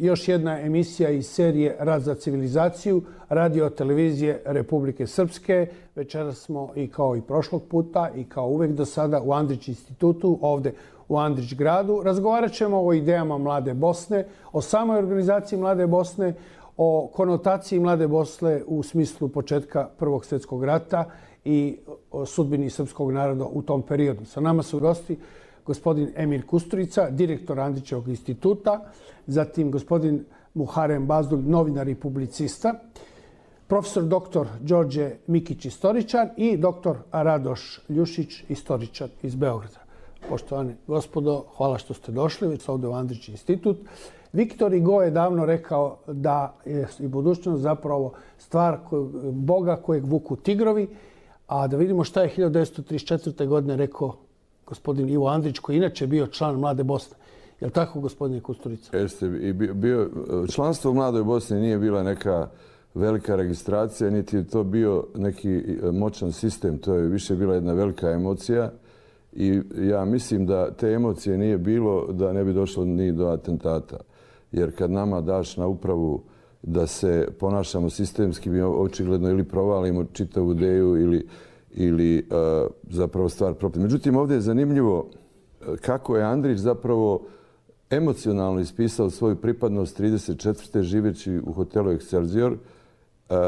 još jedna emisija iz serije Rat za civilizaciju, radio televizije Republike Srpske. Večeras smo i kao i prošlog puta i kao uvek do sada u Andrić institutu, ovde u Andrić gradu. Razgovarat ćemo o idejama Mlade Bosne, o samoj organizaciji Mlade Bosne, o konotaciji Mlade Bosne u smislu početka Prvog svjetskog rata i o sudbini srpskog naroda u tom periodu. Sa nama su gosti gospodin Emir Kusturica, direktor Andrićevog instituta, zatim gospodin Muharem Bazdulj, novinar i publicista, profesor dr. Đorđe Mikić, istoričar i dr. Radoš Ljušić, istoričar iz Beograda. Poštovani gospodo, hvala što ste došli ovdje u Andrić institut. Viktor Hugo je davno rekao da je i budućnost zapravo stvar Boga kojeg vuku tigrovi, a da vidimo šta je 1934. godine rekao gospodin Ivo Andrić, koji inače bio član Mlade Bosne. Je li tako, gospodine Kusturica? Jeste. Članstvo u Mladoj Bosni nije bila neka velika registracija, niti je to bio neki moćan sistem. To je više bila jedna velika emocija. I ja mislim da te emocije nije bilo da ne bi došlo ni do atentata. Jer kad nama daš na upravu da se ponašamo sistemski, mi očigledno ili provalimo čitavu ideju ili zapravo stvar propade. Međutim, ovdje je zanimljivo kako je Andrić zapravo emocionalno ispisao svoju pripadnost 34. živeći u hotelu Excelsior,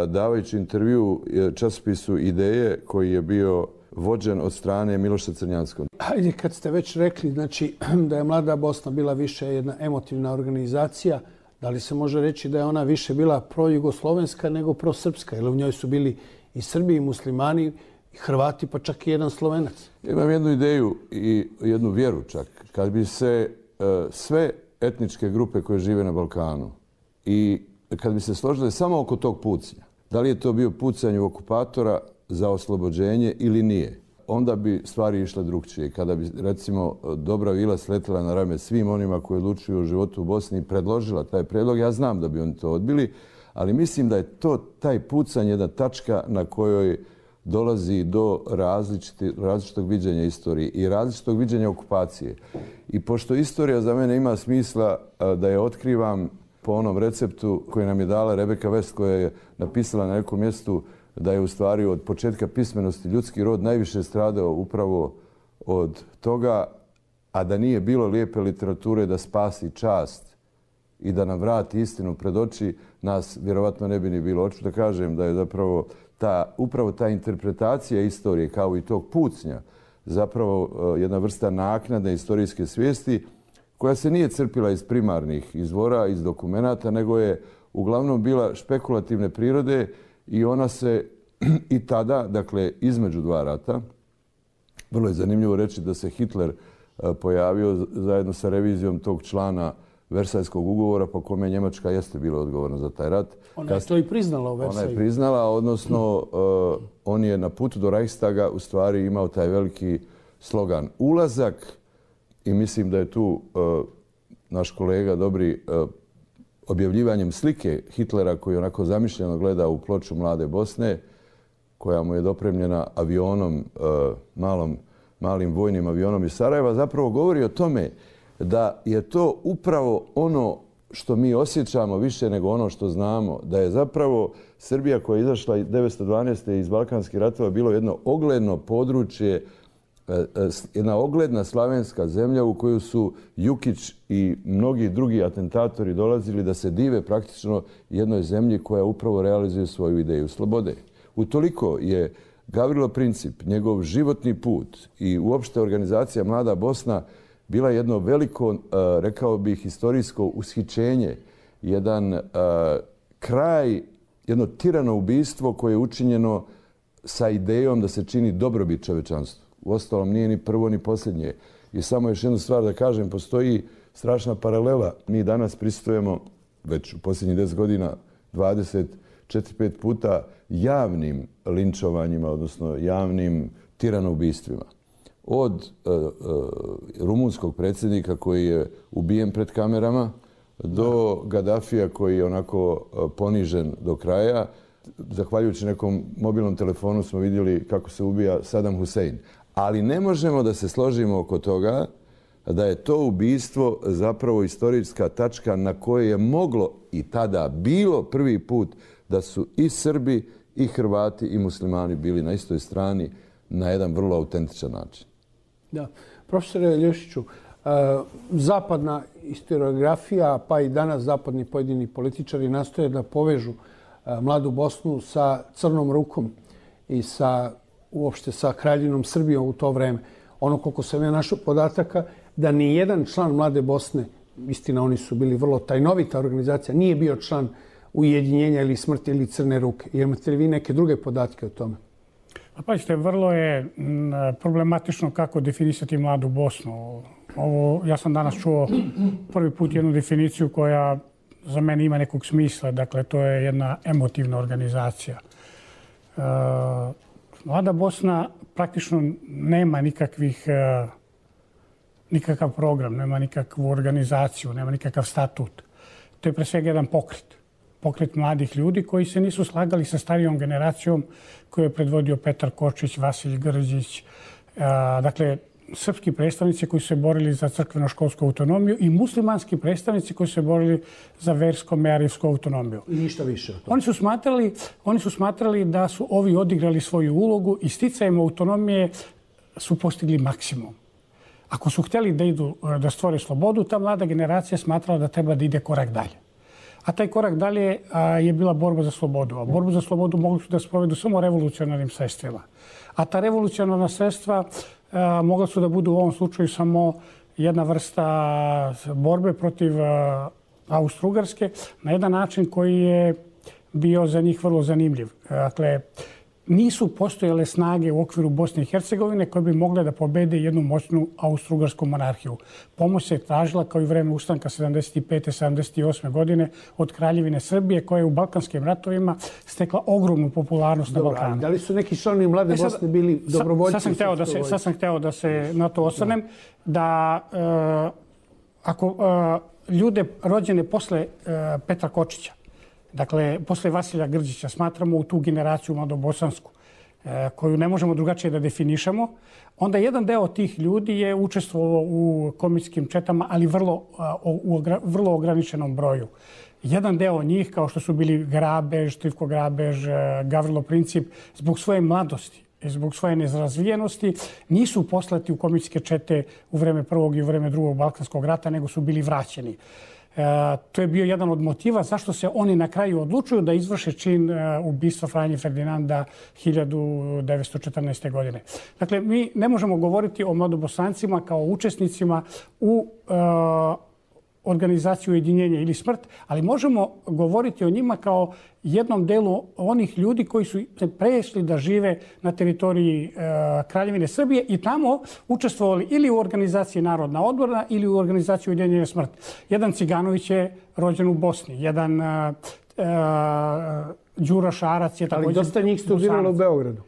davajući intervju časopisu Ideje koji je bio vođen od strane Miloša Crnjanskog. Hajde, kad ste već rekli znači, da je Mlada Bosna bila više jedna emotivna organizacija, da li se može reći da je ona više bila projugoslovenska nego prosrpska? Jer u njoj su bili i Srbi, i muslimani, i Hrvati, pa čak i jedan Slovenac. Imam jednu ideju i jednu vjeru čak. Kad bi se sve etničke grupe koje žive na Balkanu i kad bi se složile samo oko tog pucnja, da li je to bio pucanj u okupatora za oslobođenje ili nije, onda bi stvari išle drugčije. Kada bi, recimo, dobra vila sletela na rame svim onima koji odlučuju o životu u Bosni i predložila taj predlog, ja znam da bi oni to odbili, ali mislim da je to taj pucanj jedna tačka na kojoj dolazi do različitog viđenja istorije i različitog viđenja okupacije. I pošto istorija za mene ima smisla da je otkrivam po onom receptu koji nam je dala Rebeka West, koja je napisala na nekom mjestu da je u stvari od početka pismenosti ljudski rod najviše stradao upravo od toga, a da nije bilo lijepe literature da spasi čast i da nam vrati istinu pred oči, nas vjerovatno ne bi ni bilo. Hoću da kažem da je zapravo upravo ta interpretacija istorije kao i tog pucnja zapravo jedna vrsta naknadne istorijske svijesti koja se nije crpila iz primarnih izvora, iz dokumenata, nego je uglavnom bila špekulativne prirode i ona se i tada, dakle između dva rata, vrlo je zanimljivo reći da se Hitler pojavio zajedno sa revizijom tog člana Versajskog ugovora po kome Njemačka jeste bila odgovorna za taj rat. Ona je to i priznala u Versaju. Ona je priznala, odnosno on je na putu do Reichstaga u stvari imao taj veliki slogan ulazak i mislim da je tu naš kolega dobri objavljivanjem slike Hitlera koji onako zamišljeno gleda u ploču Mlade Bosne, koja mu je dopremljena avionom, malim vojnim avionom iz Sarajeva, zapravo govori o tome da je to upravo ono što mi osjećamo više nego ono što znamo, da je zapravo Srbija koja je izašla 1912. iz Balkanskih ratova bilo jedno ogledno područje, jedna ogledna slavenska zemlja u koju su Jukić i mnogi drugi atentatori dolazili da se dive praktično jednoj zemlji koja upravo realizuje svoju ideju slobode. Utoliko je Gavrilo Princip, njegov životni put i uopšte organizacija Mlada Bosna bila jedno veliko, rekao bih, historijsko ushićenje, jedan kraj, jedno tiranoubistvo koje je učinjeno sa idejom da se čini dobrobit čovečanstvu. Uostalom, nije ni prvo ni posljednje. I samo još jednu stvar da kažem, postoji strašna paralela. Mi danas prisustujemo, već u posljednjih 10 godina, 24-5 puta javnim linčovanjima, odnosno javnim tiranoubistvima. Od rumunskog predsjednika koji je ubijen pred kamerama do Gaddafija koji je onako ponižen do kraja. Zahvaljujući nekom mobilnom telefonu smo vidjeli kako se ubija Saddam Hussein. Ali ne možemo da se složimo oko toga da je to ubistvo zapravo istorijska tačka na kojoj je moglo i tada bilo prvi put da su i Srbi i Hrvati i muslimani bili na istoj strani na jedan vrlo autentičan način. Da. Profesore Ljošiću, zapadna historiografija, pa i danas zapadni pojedini političari nastoje da povežu mladu Bosnu sa Crnom Rukom i uopšte sa Kraljevinom Srbijom u to vreme. Ono koliko sam ja našao podataka, da ni jedan član Mlade Bosne, istina oni su bili vrlo tajnovita organizacija, nije bio član Ujedinjenja ili Smrti ili Crne Ruke. Imate li vi neke druge podatke o tome? Pazite, vrlo je problematično kako definisati Mladu Bosnu. Ja sam danas čuo prvi put jednu definiciju koja za mene ima nekog smisla. Dakle, to je jedna emotivna organizacija. Mlada Bosna praktično nema nikakav program, nema nikakvu organizaciju, nema nikakav statut. To je pre svega jedan pokret mladih ljudi koji se nisu slagali sa starijom generacijom koju je predvodio Petar Kočić, Vasilij Grđić. Dakle, srpski predstavnici koji su se borili za crkveno-školsku autonomiju i muslimanski predstavnici koji su se borili za versko-mearijsku autonomiju. I ništa više od toga. Oni su smatrali da su ovi odigrali svoju ulogu i sticajem autonomije su postigli maksimum. Ako su htjeli da stvore slobodu, ta mlada generacija smatrala da treba da ide korak dalje. A taj korak dalje je bila borba za slobodu. A borbu za slobodu mogli su da sprovedu samo revolucionarnim sredstvima. A ta revolucionarna sredstva mogla su da budu u ovom slučaju samo jedna vrsta borbe protiv Austro-Ugarske na jedan način koji je bio za njih vrlo zanimljiv. Dakle, nisu postojale snage u okviru Bosne i Hercegovine koje bi mogle da pobede jednu moćnu austro-ugarsku monarhiju. Pomoć se tražila kao i vreme ustanka 75. 78. godine od Kraljevine Srbije koja je u Balkanskim ratovima stekla ogromnu popularnost na Balkanu. Da li su neki članovi Mlade Bosne bili dobrovoljci? Sad sam hteo da se na to osvrnem. Da ako ljude rođene posle Petra Kočića, dakle, posle Vasilija Grđića smatramo u tu generaciju mladobosansku, koju ne možemo drugačije da definišemo, onda jedan deo tih ljudi je učestvovao u komitskim četama, ali u vrlo ograničenom broju. Jedan deo njih, kao što su bili Grabež, Trifko Grabež, Gavrilo Princip, zbog svoje mladosti i zbog svoje nerazvijenosti, nisu poslati u komitske čete u vreme Prvog i u vreme Drugog Balkanskog rata, nego su bili vraćeni. To je bio jedan od motiva zašto se oni na kraju odlučuju da izvrše čin ubistva Franje Ferdinanda 1914. godine. Dakle, mi ne možemo govoriti o mladobosancima kao učesnicima u organizaciju Ujedinjenja ili Smrt, ali možemo govoriti o njima kao jednom delu onih ljudi koji su prešli da žive na teritoriji Kraljevine Srbije i tamo učestvovali ili u organizaciji Narodna odbrana ili u organizaciji Ujedinjenja Smrt. Jedan Ciganović je rođen u Bosni, jedan Đuro Šarac je također... Ali dosta njih studiralo u Beogradu.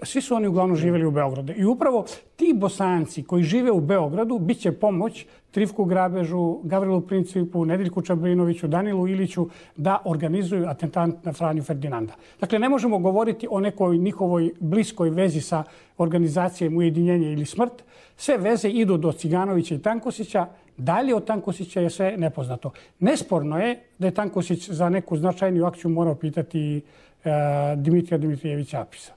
Svi su oni uglavnom živjeli u Beogradu. I upravo ti Bosanci koji žive u Beogradu bit će pomoć Trifku Grabežu, Gavrilu Principu, Nedeljku Čabrinoviću, Danilu Iliću da organizuju atentat na Franju Ferdinanda. Dakle, ne možemo govoriti o nekoj njihovoj bliskoj vezi sa organizacijom Ujedinjenja ili Smrt. Sve veze idu do Ciganovića i Tankosića. Dalje od Tankosića je sve nepoznato. Nesporno je da je Tankosić za neku značajniju akciju morao pitati Dimitrija Dimitrijevića Apisa.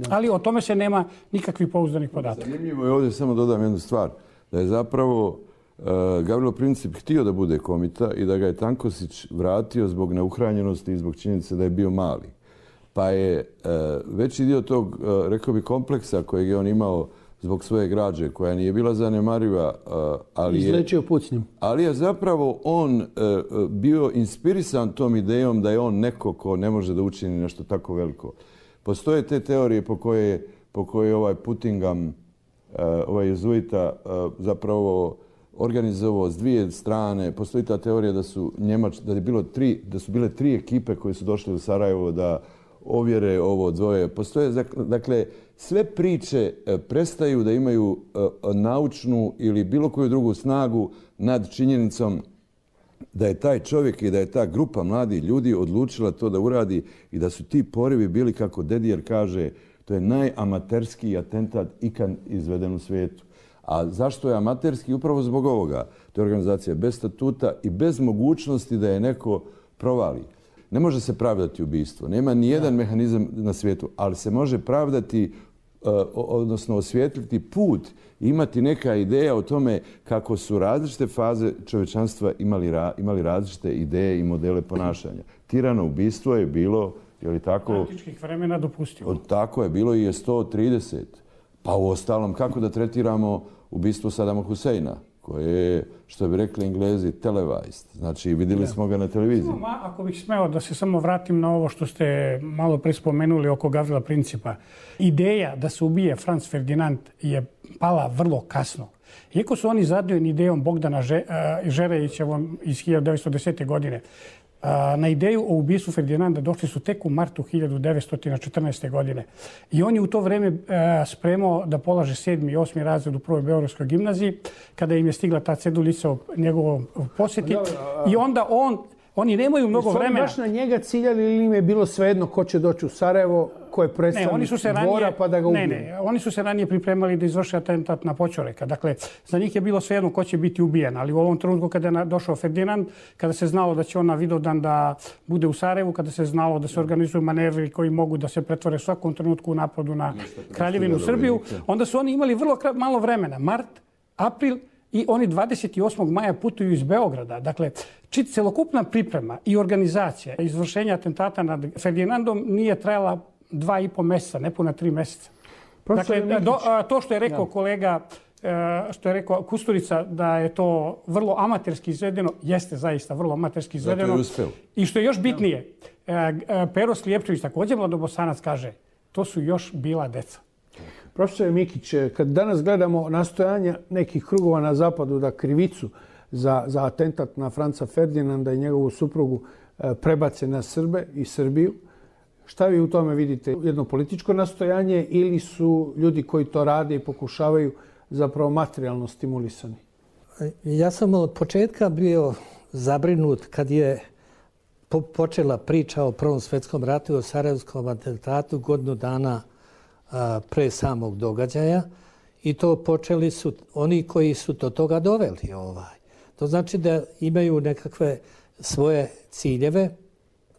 Ali o tome se nema nikakvih pouzdanih podataka. Zanimljivo je ovdje, samo dodam jednu stvar, da je zapravo Gavrilo Princip htio da bude komita i da ga je Tankosić vratio zbog neuhranjenosti i zbog činjenice da je bio mali. Pa je veći dio tog, rekao bi, kompleksa kojeg je on imao zbog svoje građe, koja nije bila zanemariva, izlečio put s njim. Ali je zapravo on bio inspirisan tom idejom da je on neko ko ne može da učini nešto tako veliko. Postoje te teorije po koje ovaj Puttingham, ovaj jezuita, zapravo organizovao s dvije strane. Postoji ta teorija da su bile tri ekipe koje su došle u Sarajevo da ovjere ovo dvoje. Postoje, dakle, sve priče prestaju da imaju naučnu ili bilo koju drugu snagu nad činjenicom da je taj čovjek i da je ta grupa mladih ljudi odlučila to da uradi i da su ti porivi bili, kako Dedijer kaže, to je najamaterskiji atentat ikad izveden u svijetu. A zašto je amaterski? Upravo zbog ovoga. To je organizacija bez statuta i bez mogućnosti da je neko provali. Ne može se pravdati ubistvo. Nema ni jedan mehanizam na svijetu, ali se može pravdati, odnosno osvijetliti put i imati neka ideja o tome kako su različite faze čovječanstva imali različite ideje i modele ponašanja. Tirano ubistvo je bilo, je li tako? Antičkih vremena dopustivo. Tako je, bilo i je 130. Pa u ostalom, kako da tretiramo ubistvo Sadama Huseina, koje je, što bi rekli Englezi, televised. Znači, vidjeli smo ga na televiziji. Ako bih smeo da se samo vratim na ovo što ste malo pre spomenuli oko Gavrila Principa. Ideja da se ubije Franz Ferdinand je pala vrlo kasno. Iako su oni zadojeni idejom Bogdana Žerejićevom iz 1910. godine, na ideju o ubistvu Ferdinanda došli su tek u martu 1914. godine. I on je u to vreme spremao da polaže 7. i 8. razred u prvoj Beogradskoj gimnaziji, kada im je stigla ta ceduljica o njegovom posjeti. I onda oni nemaju mnogo vremena. Baš na njega ciljali ili im je bilo svejedno ko će doći u Sarajevo, ko je predstavnik dvora pa da ga ubiju? Ne, oni su se ranije pripremali da izvrše atentat na Počoreka. Dakle, za njih je bilo svejedno ko će biti ubijen. Ali u ovom trenutku kada je došao Ferdinand, kada se znalo da će on na Vidovdan da bude u Sarajevu, kada se znalo da se organizuju manevri koji mogu da se pretvore u svakom trenutku u napadu na Kraljevinu Srbiju, onda su oni imali vrlo malo vremena. Mart, april, i oni 28. maja putuju iz Beograda. Dakle, celokupna priprema i organizacija izvršenja atentata nad Ferdinandom nije trajala 2,5 mjeseca, nepuna 3 mjeseca. Dakle, to što je rekao kolega, što je rekao Kusturica, da je to vrlo amaterski izvedeno, jeste zaista vrlo amaterski izvedeno. I što je još bitnije, Pero Slijepčević, također mladobosanac, kaže, to su još bila deca. Profesore Mikić, kad danas gledamo nastojanja nekih krugova na zapadu da krivicu za atentat na Franca Ferdinanda i njegovu suprugu prebace na Srbe i Srbiju, šta vi u tome vidite? Jedno političko nastojanje ili su ljudi koji to rade i pokušavaju zapravo materijalno stimulisani? Ja sam od početka bio zabrinut kad je počela priča o Prvom svjetskom ratu i o Sarajevskom atentatu godinu dana pre samog događaja i to počeli su oni koji su do toga doveli. To znači da imaju nekakve svoje ciljeve,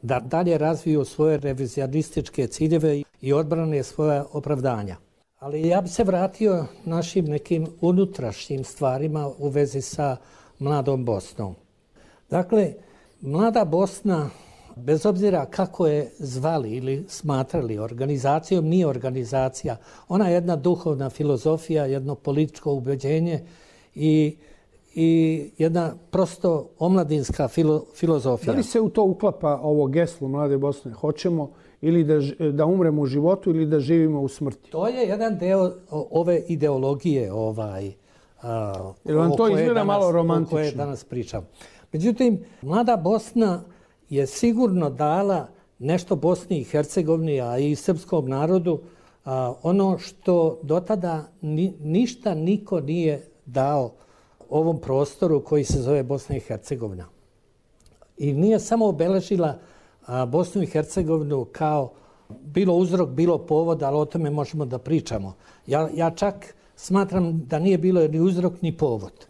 da dalje razviju svoje revizionističke ciljeve i odbrane svoje opravdanja. Ali ja bi se vratio našim nekim unutrašnjim stvarima u vezi sa Mladom Bosnom. Dakle, Mlada Bosna, bez obzira kako je zvali ili smatrali organizacijom, nije organizacija. Ona je jedna duhovna filozofija, jedno političko ubeđenje i jedna prosto omladinska filozofija. Da li se u to uklapa ovo geslo Mlade Bosne? Hoćemo ili da umremo u životu ili da živimo u smrti? To je jedan deo ove ideologije jer vam to izgleda malo romantično? O koje danas pričam. Međutim, Mlada Bosna je sigurno dala nešto Bosni i Hercegovini, a i srpskom narodu, ono što do tada ništa niko nije dao ovom prostoru koji se zove Bosna i Hercegovina. I nije samo obeležila Bosnu i Hercegovinu kao bilo uzrok, bilo povod, ali o tome možemo da pričamo. Ja čak smatram da nije bilo ni uzrok ni povod.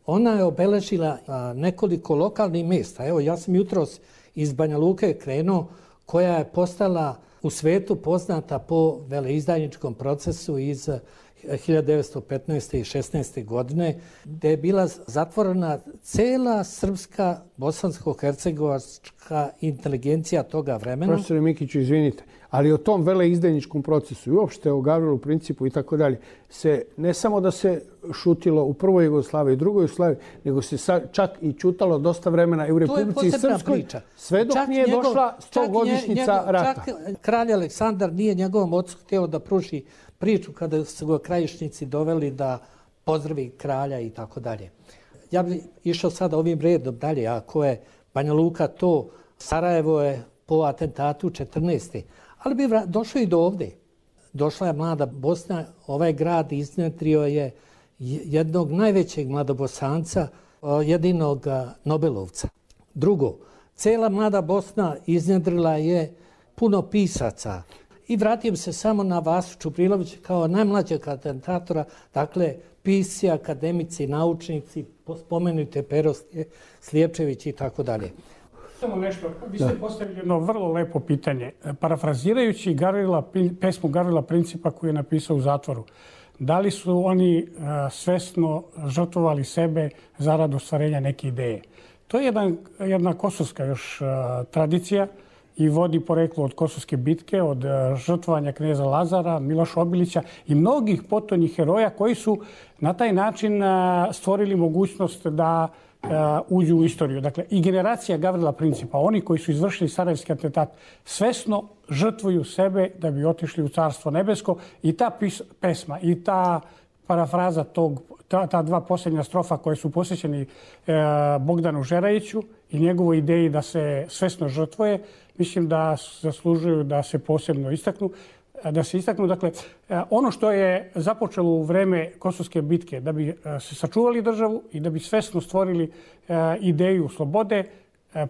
Ona je obeležila nekoliko lokalnih mjesta. Evo, ja sam jutros iz Banja Luke krenuo, koja je postala u svetu poznata po veleizdajničkom procesu iz 1915. i 16. godine, gdje je bila zatvorena cela srpska, bosansko-hercegovačka inteligencija toga vremena. Profesore Mikiću, izvinite, ali o tom veleizdajničkom procesu i uopšte o Gavrilu Principu i tako dalje, se ne samo da se šutilo u prvoj Jugoslaviji i drugoj Jugoslaviji, nego se čak i čutalo dosta vremena i u Republici Srpskoj, sve dok nije došla 100-godišnjica rata. Čak kralj Aleksandar nije njegovom ocu htio da pruži priču kada su ga krajišnici doveli da pozdravi kralja i tako dalje. Ja bih išao sada ovim redom dalje, ako je Banja Luka to, Sarajevo je po atentatu 14. Ali bi došao i do ovdje. Došla je Mlada Bosna, ovaj grad iznjedrio je jednog najvećeg mladobosanca, jedinog Nobelovca. Drugo, cela Mlada Bosna iznjedrila je puno pisaca. I vratim se samo na Vasu Čuprilovića kao najmlađeg atentatora, dakle pisci, akademici, naučnici, spomenute Pero Slijepčević i tako dalje. Samo nešto, vi ste postavili jedno vrlo lepo pitanje. Parafrazirajući pesmu Gavrila Principa koju je napisao u zatvoru, da li su oni svesno žrtvovali sebe zarad ostvarenja neke ideje? To je jedna kosovska još tradicija i vodi poreklo od Kosovske bitke, od žrtvovanja kneza Lazara, Miloša Obilića i mnogih potonjih heroja koji su na taj način stvorili mogućnost da uđu u istoriju. Dakle, i generacija Gavrila Principa, oni koji su izvršili sarajevski atentat, svesno žrtvuju sebe da bi otišli u Carstvo nebesko i ta pesma i ta parafraza ta dva posljednja strofa koje su posvećeni Bogdanu Žerajiću i njegovoj ideji da se svesno žrtvuje, mislim da zaslužuju da se posebno istaknu. Dakle, ono što je započelo u vreme Kosovske bitke, da bi se sačuvali državu i da bi svesno stvorili ideju slobode,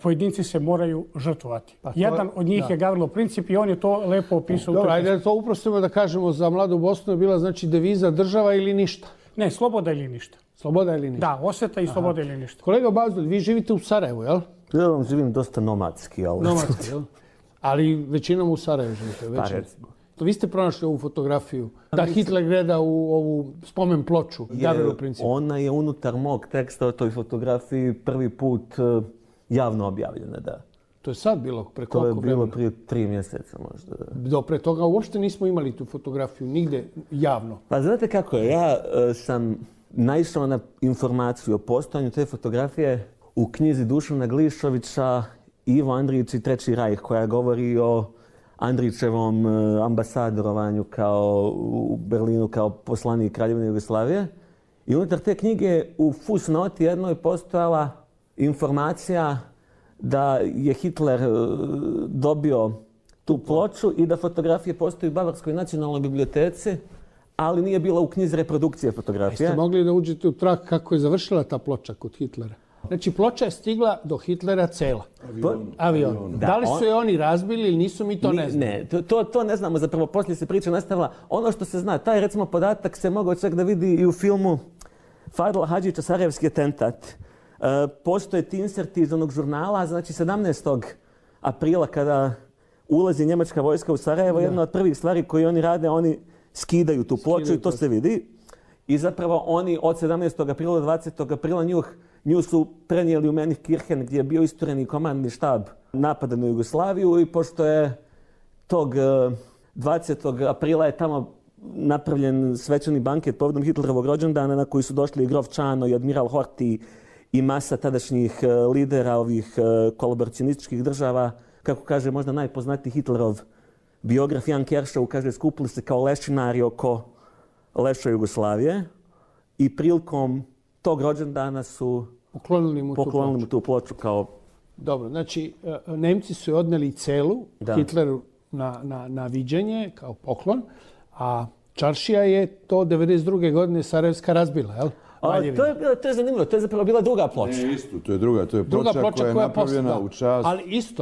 pojedinci se moraju žrtvovati. Jedan od njih je Gavrilo Princip i on je to lepo opisao. Dobro, ajde to uprostimo da kažemo, za mladu Bosnu je bila znači deviza država ili ništa. Ne, sloboda ili ništa. Sloboda ili ništa. Da, osveta i sloboda ili ništa. Kolega Bazdulj, vi živite u Sarajevu, jel? Ja vam živim dosta nomadski. Nomadski, jel? Ali većinom u Sarajevu živite. Pa recimo. Vi ste pronašli ovu fotografiju da Hitler gleda u ovu spomen ploču Gavrilu Principu. Ona je unutar mog teksta o toj fotografiji prvi put javno objavljena, da. To je sad bilo pre koliko vremena? To je bilo prije 3 mjeseca možda. Do pre toga uopšte nismo imali tu fotografiju nigde javno. Pa znate kako je, ja sam naišao na informaciju o postojanju te fotografije u knjizi Dušana Glišovića Ivo Andrić i Treći rajh, koja govori o Andrićevom ambasadorovanju u Berlinu kao poslanik Kraljevine Jugoslavije. I unutar te knjige u fusnoti jednoj postojala informacija da je Hitler dobio tu ploču i da fotografije postoji u Bavarskoj nacionalnoj biblioteci, ali nije bila u knjizi reprodukcije fotografije. Jeste mogli da uđete u trag kako je završila ta ploča kod Hitlera? Znači, ploča je stigla do Hitlera cela. Avion. Da li su je oni razbili ili nisu, mi to ne znamo. Ne, to ne znamo. Zapravo, poslije se priča nastavila. Ono što se zna, taj recimo podatak se mogao čak da vidi i u filmu Fadla Hadžića Sarajevski atentat. Postoje ti inserti iz onog žurnala, znači 17. aprila kada ulazi njemačka vojska u Sarajevo, jedna od prvih stvari koje oni rade, oni skidaju tu ploču i to se vidi. I zapravo oni od 17. aprila do 20. aprila nju su prenijeli u Menikirchen gdje je bio istureni komandni štab napada na Jugoslaviju i pošto je tog 20. aprila je tamo napravljen svečani banket povodom Hitlerovog rođendana na koji su došli i grof Čano i admiral Horthy i masa tadašnjih lidera ovih kolaboracionističkih država. Kako kaže možda najpoznatiji Hitlerov biograf Jan Kershaw, kaže skupili se kao lešinari oko leša Jugoslavije i prilikom tog rođendana su poklonili mu tu ploču kao... Dobro, znači Nemci su je odneli celu Hitleru na viđenje kao poklon, a čaršija je to 92. godine Sarajevska razbila, jel? To je zanimljivo, to je zapravo bila druga ploča. Ne, isto, to je druga, to je ploča koja je napravljena u čast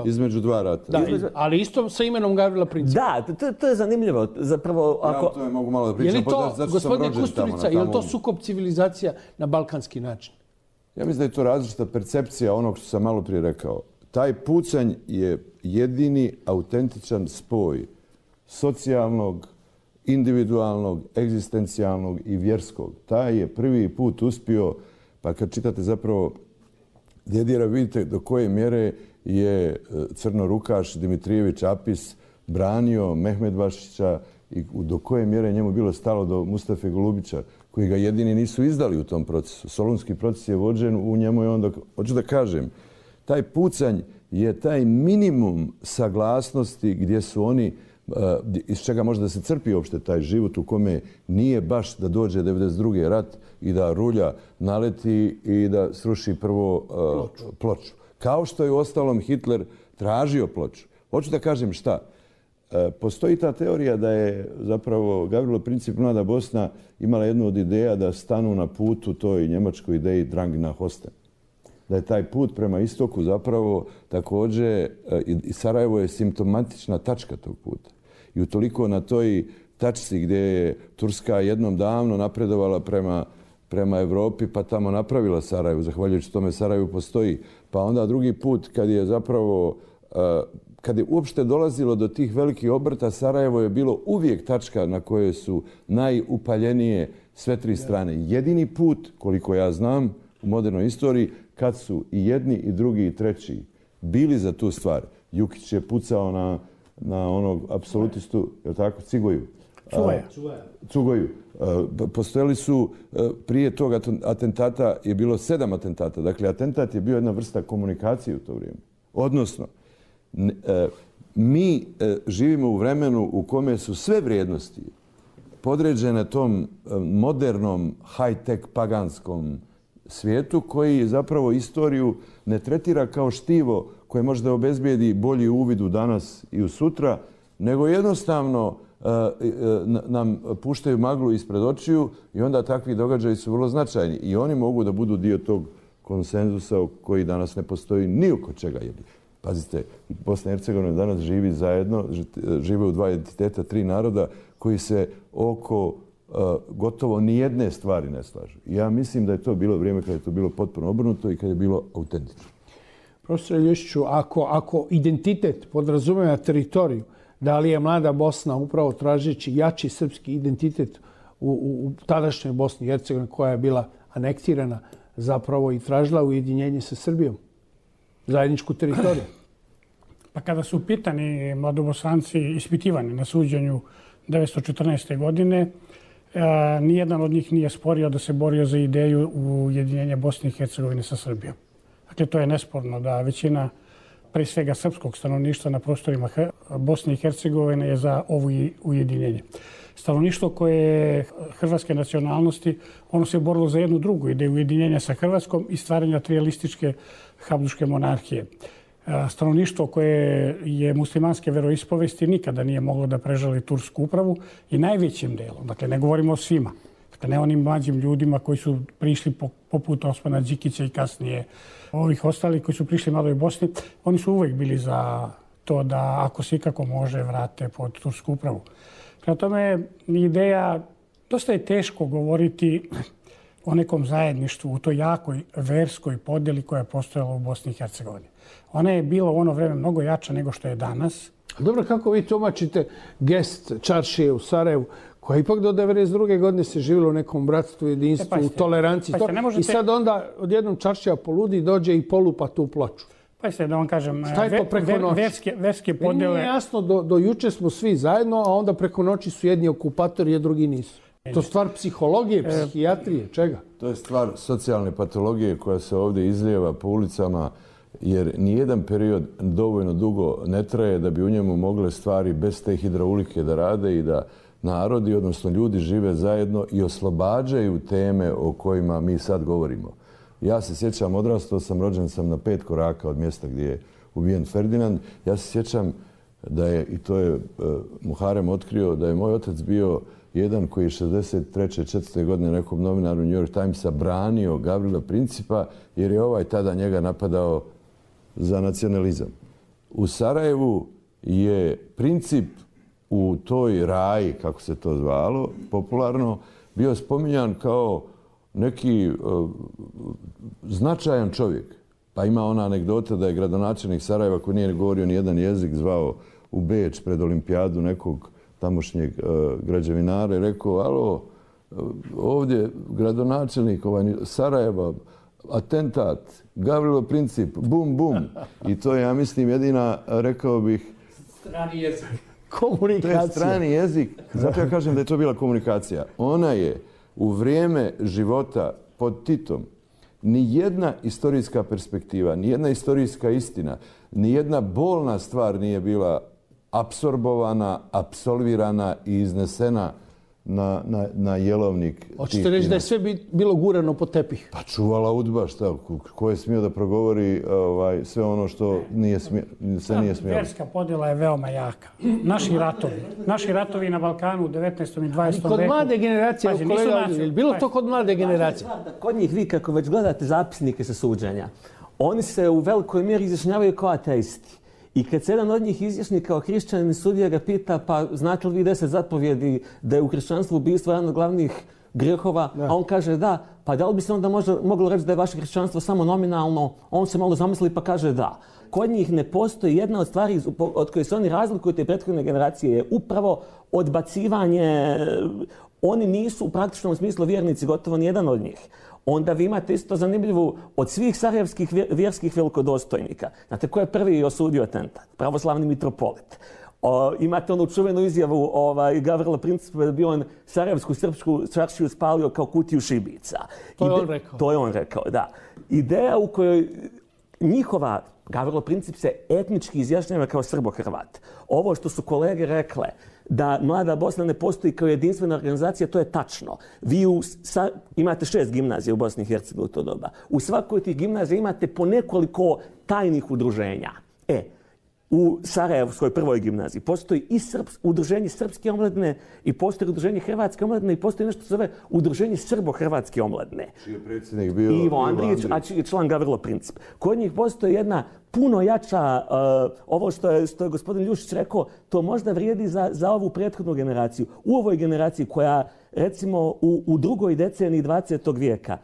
između dva rata. Da, ali isto sa imenom Gavrila Principa. Da, to je zanimljivo. Zapravo, ja to mogu malo da pričam, zato sam rođen tamo. Je li to sukob civilizacija na balkanski način? Ja mislim da je to različita percepcija onog što sam malo prije rekao. Taj pucanj je jedini autentičan spoj socijalnog, individualnog, egzistencijalnog i vjerskog. Taj je prvi put uspio, pa kad čitate zapravo Djedira, vidite do koje mjere je crnorukaš Dimitrijević Apis branio Mehmedvašića i do koje mjere njemu bilo stalo do Mustafe Golubića, koji ga jedini nisu izdali u tom procesu. Solunski proces je vođen u njemu i onda, hoću da kažem, taj pucanj je taj minimum saglasnosti gdje su oni, iz čega može da se crpi uopšte taj život u kome nije baš da dođe 92. rat i da rulja naleti i da sruši prvo ploču. Kao što je u ostalom Hitler tražio ploču. Hoću da kažem šta. Postoji ta teorija da je zapravo Gavrilo Princip Mlada Bosna imala jednu od ideja da stanu na putu toj njemačkoj ideji Drang nach Osten. Da je taj put prema istoku zapravo također, i Sarajevo je simptomatična tačka tog puta. I utoliko na toj tačci gdje je Turska jednom davno napredovala prema prema Evropi, pa tamo napravila Sarajevo, zahvaljujući tome Sarajevo postoji. Pa onda drugi put kad je zapravo, kad je uopšte dolazilo do tih velikih obrta, Sarajevo je bilo uvijek tačka na kojoj su najupaljenije sve tri strane. Jedini put, koliko ja znam, u modernoj istoriji, kad su i jedni i drugi i treći bili za tu stvar. Jukić je pucao na onog apsolutistu, je li tako, Cigoju. Cugoju. Postojali su, prije tog atentata je bilo 7 atentata. Dakle, atentat je bio jedna vrsta komunikacije u to vrijeme. Odnosno, mi živimo u vremenu u kome su sve vrijednosti podređene tom modernom, high-tech, paganskom svijetu koji zapravo istoriju ne tretira kao štivo koje može da obezbijedi bolji uvid u danas i u sutra, nego jednostavno nam puštaju maglu ispred očiju i onda takvi događaji su vrlo značajni i oni mogu da budu dio tog konsenzusa koji danas ne postoji ni oko čega. Pazite, Bosna i Hercegovina danas živi zajedno, žive u 2 identiteta, 3 naroda koji se oko gotovo nijedne stvari ne slažu. Ja mislim da je to bilo vrijeme kada je to bilo potpuno obrnuto i kada je bilo autentično. Profesor Ljušiću, ako identitet podrazumeva teritoriju, da li je mlada Bosna upravo tražeći jači srpski identitet u tadašnjoj Bosni i Hercegovini koja je bila anektirana zapravo i tražila ujedinjenje sa Srbijom? Zajedničku teritoriju? Pa kada su pitani mladobosanci ispitivani na suđenju 1914. godine, nijedan od njih nije sporio da se borio za ideju ujedinjenja Bosne i Hercegovine sa Srbijom. Dakle, to je nesporno da većina, pre svega srpskog stanovništva na prostorima Bosne i Hercegovine je za ovo ujedinjenje. Stanovništvo koje je hrvatske nacionalnosti, ono se borilo za jednu drugu ideju ujedinjenja sa Hrvatskom i stvaranja trijalističke habsburške monarhije. Stanovništvo koje je muslimanske veroispovesti nikada nije moglo da prežali tursku upravu i najvećim delom, dakle ne govorimo o svima, dakle ne onim mlađim ljudima koji su prišli poput Osmana Đikića i kasnije ovih ostalih koji su prišli mladoj Bosni, oni su uvijek bili za to da ako se ikako može vrate pod tursku upravu. Prema tome ideja, dosta je teško govoriti o nekom zajedništvu u toj jakoj verskoj podjeli koja je postojala u Bosni i Hercegovini. Ona je bila u ono vreme mnogo jača nego što je danas. Dobro, kako vi tumačite gest čaršije u Sarajevu, koja ipak do 1992. godine se živjelo u nekom bratstvu, jedinstvu, u toleranciji. I sad onda odjednom čaršija poludi, dođe i polupa tu ploču. Pa se da vam kažem, verske podjele... Meni nije jasno, do juče smo svi zajedno, a onda preko noći su jedni okupatori, a drugi nisu. To je stvar psihologije, psihijatrije, čega? To je stvar socijalne patologije koja se ovdje izlijeva po ulicama, jer nijedan period dovoljno dugo ne traje da bi u njemu mogle stvari bez te hidraulike da rade i da narodi, odnosno ljudi, žive zajedno i oslobađaju teme o kojima mi sad govorimo. Ja se sjećam, odrastao sam, rođen sam na 5 koraka od mjesta gdje je ubijen Ferdinand. Ja se sjećam da je, i to je Muharem otkrio, da je moj otac bio jedan koji je 63. 4. godine nekom novinaru New York Timesa branio Gavrila Principa jer je ovaj tada njega napadao za nacionalizam. U Sarajevu je Princip u toj raji, kako se to zvalo, popularno, bio spominjan kao neki značajan čovjek. Pa ima ona anegdota da je gradonačelnik Sarajeva, koji nije govorio ni jedan jezik, zvao u Beč pred olimpijadu nekog tamošnjeg građevinara i rekao, alo, ovdje gradonačelnik Sarajeva, atentat, Gavrilo Princip, bum, bum. I to je, ja mislim, jedina, rekao bih... Strani jezik. Komunikacija. To je strani jezik. Zato ja kažem da je to bila komunikacija. Ona je u vrijeme života pod Titom nijedna istorijska perspektiva, nijedna istorijska istina, nijedna bolna stvar nije bila apsorbovana, apsolvirana i iznesena na jelovnik. Hoćete reći da je sve bilo gurano po tepih? Pa čuvala UDBA, šta? Ko je smio da progovori sve ono što se nije smio? Verska podjela je veoma jaka. Naši ratovi na Balkanu u 19. i 20. veku... Kod mlade generacije, kolega, je bilo to kod mlade generacije? Kod njih vi, kako već gledate zapisnike sa suđenja, oni se u velikoj mjeri izjašnjavaju kao ateisti. I kad se jedan od njih izjašnji kao hrišćanin, sudija ga pita, pa znate li vi 10 zapovjedi da je u hrišćanstvu ubistvo jedan od glavnih grijehova, a on kaže da, pa da li bi se onda moglo reći da je vaše hrišćanstvo samo nominalno, on se malo zamisli pa kaže da. Kod njih ne postoji jedna od stvari od koje se oni razlikuju te prethodne generacije je upravo odbacivanje. Oni nisu u praktičnom smislu vjernici, gotovo nijedan od njih. Onda vi imate isto zanimljivu od svih sarajevskih vjerskih velikodostojnika. Znate ko je prvi osudio atentat? Pravoslavni mitropolit. Imate onu čuvenu izjavu Gavrila Principa da bi on sarajevsku srpsku čaršiju spalio kao kutiju šibica. To je on rekao. To je on rekao, da. Ideja u kojoj njihova Gavrilo Princip se etnički izjašnjava kao Srbo-Hrvat. Ovo što su kolege rekle, da Mlada Bosna ne postoji kao jedinstvena organizacija, to je tačno. Vi imate 6 gimnazija u Bosni i Hercegovini u to doba. U svakoj tih gimnazija imate po nekoliko tajnih udruženja. U Sarajevskoj prvoj gimnaziji postoji i udruženje Srpske omladine i postoji udruženje Hrvatske omladine i postoji nešto što se zove udruženje Srbo-Hrvatske omladine. Čiji je predsjednik bio Ivo Andrić, a čiji je član Gavrilo Princip. Kod njih postoji jedna puno jača, ovo što je gospodin Ljušić rekao, to možda vrijedi za ovu prethodnu generaciju. U ovoj generaciji koja, recimo, u drugoj deceniji 20. vijeka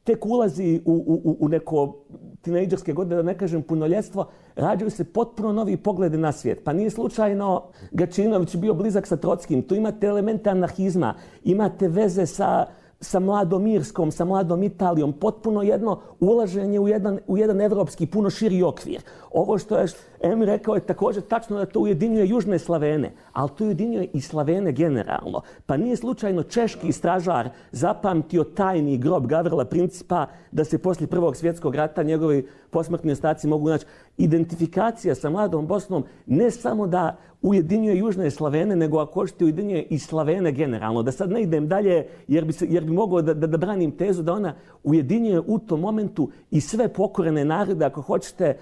tek ulazi u neko tinejdžerske godine, da ne kažem punoljetstvo, rađaju se potpuno novi pogledi na svijet. Pa nije slučajno Gačinović bio blizak sa Trotskim. Tu imate elemente anarhizma, imate veze sa mladom Irskom, sa mladom Italijom, potpuno jedno ulaženje u jedan evropski, puno širi okvir. Ovo što je Emir rekao je također tačno da to ujedinjuje južne Slavene, ali to ujedinjuje i Slavene generalno. Pa nije slučajno češki stražar zapamtio tajni grob Gavrila Principa da se poslije Prvog svjetskog rata njegovi posmrtni ostaci mogu naći. Identifikacija sa Mladom Bosnom ne samo da ujedinjuje južne Slavene, nego ako hoćete ujedinjuje i Slavene generalno. Da sad ne idem dalje jer bi mogao da branim tezu da ona ujedinjuje u tom momentu i sve pokorene narode, ako hoćete,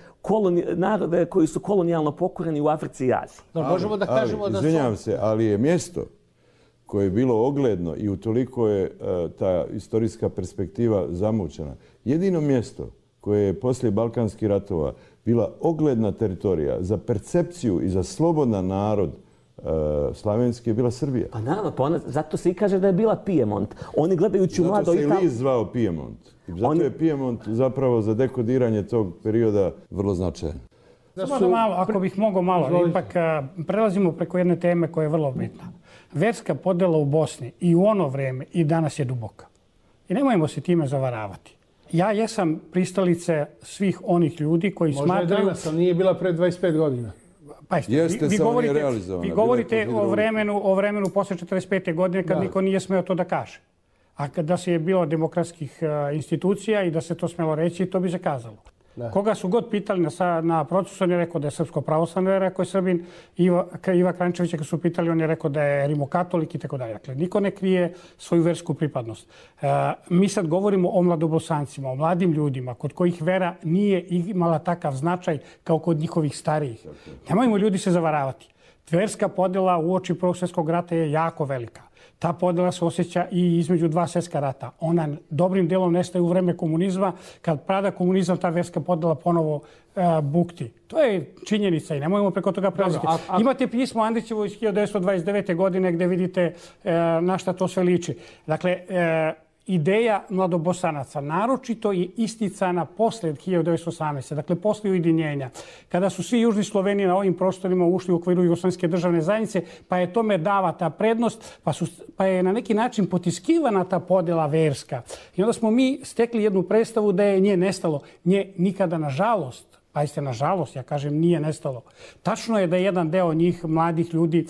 narode koji su kolonijalno pokoreni u Africi i Aziji. Možemo da kažemo da su... Izvinjavam se, ali je mjesto koje je bilo ogledno i utoliko je ta istorijska perspektiva zamućena. Jedino mjesto koje je poslije Balkanskih ratova bila ogledna teritorija za percepciju i za slobodan narod slavenski je bila Srbija. Pa naravno, zato se i kaže da je bila Pijemont. Oni gledajući u mlado Zato se i list zvao Pijemont. Zato je Pijemont zapravo za dekodiranje tog perioda vrlo značajan. Samo malo, ako bih mogao malo, ipak prelazimo preko jedne teme koja je vrlo bitna. Verska podjela u Bosni i u ono vreme i danas je duboka. I nemojmo se time zavaravati. Ja jesam pristalice svih onih ljudi koji smatraju... Možda je danas, ali nije bila pred 25 godina. Pa vi govorite o vremenu posle 45. godine kad niko nije smeo to da kaže. A da se je bilo demokratskih institucija i da se to smelo reći, to bi se kazalo. Koga su god pitali na procesu, on je rekao da je srpsko pravoslavno, rekao je Srbin. Iva Krančevića kad su pitali, on je rekao da je rimokatolik i tako dalje. Dakle, niko ne krije svoju versku pripadnost. Mi sad govorimo o mladobosancima, o mladim ljudima kod kojih vera nije imala takav značaj kao kod njihovih starijih. Nemojmo ljudi se zavaravati. Verska podjela uoči Prvog svjetskog rata je jako velika. Ta podjela se osjeća i između dva svjetska rata. Ona dobrim delom nestaje u vreme komunizma. Kad pada komunizam, ta verska podjela ponovo bukti. To je činjenica i nemojmo preko toga prelaziti. Imate pismo Andrićevo iz 1929. godine gdje vidite na šta to sve liči. Dakle, ideja mladobosanaca naročito je isticana posle 1918. Dakle, posle ujedinjenja. Kada su svi južni Sloveni na ovim prostorima ušli u okviru Jugoslovenske državne zajednice, pa je tome dava ta prednost, pa je na neki način potiskivana ta podjela verska. I onda smo mi stekli jednu predstavu da je nje nestalo. Nje nikada, nažalost, pazite, nažalost, ja kažem, nije nestalo. Tačno je da je jedan deo njih, mladih ljudi,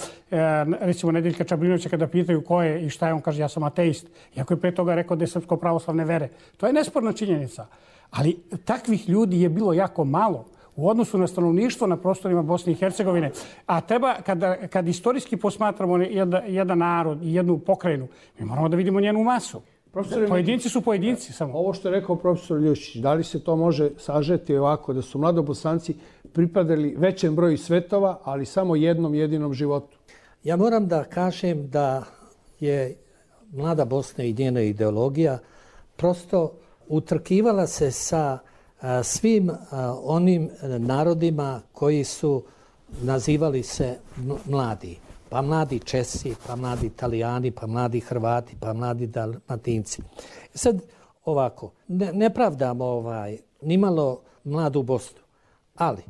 recimo Nedeljka Čabrinovića, kada pitaju ko je i šta je, on kaže ja sam ateist. Iako je pre toga rekao da je srpsko pravoslavne vere. To je nesporna činjenica. Ali takvih ljudi je bilo jako malo u odnosu na stanovništvo na prostorima Bosne i Hercegovine. A treba, kad istorijski posmatramo jedan narod i jednu pokrajinu, mi moramo da vidimo njenu masu. Pojedinci su pojedinci samo. Ovo što je rekao profesor Ljušić, da li se to može sažeti ovako da su mladobosanci pripadali većem broju svetova, ali samo jednom jedinom životu? Ja moram da kažem da je Mlada Bosna i njena ideologija prosto utrkivala se sa svim onim narodima koji su nazivali se mladi. pa mladi Česi, pa mladi Italijani, pa mladi Hrvati, pa mladi Dalmatinci. Sad ovako, ne pravdamo nimalo mladu Bosnu, ali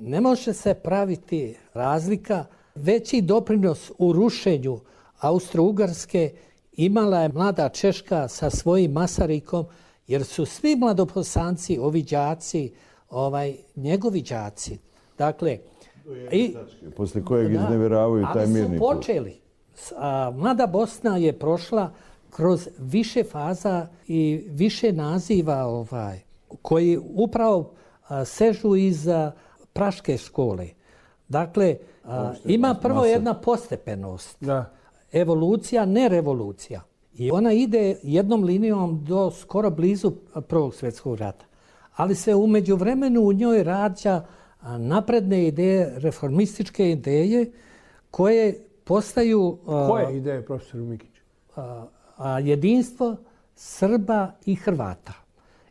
ne može se praviti razlika. Veći doprinos u rušenju Austro-Ugarske imala je mlada Češka sa svojim Masarikom, jer su svi mladobosanci, ovi đaci, njegovi đaci. Dakle, posle kojeg iznevjeravaju taj mirni put. Ali su počeli. Mlada Bosna je prošla kroz više faza i više naziva koji upravo sežu iz praške škole. Dakle, ima prvo jedna postepenost. Evolucija, ne revolucija. I ona ide jednom linijom do skoro blizu Prvog svjetskog rata. Ali se u međuvremenu u njoj rađa napredne ideje, reformističke ideje koje postaju... Koje ideje, profesor Mikić? Jedinstvo Srba i Hrvata.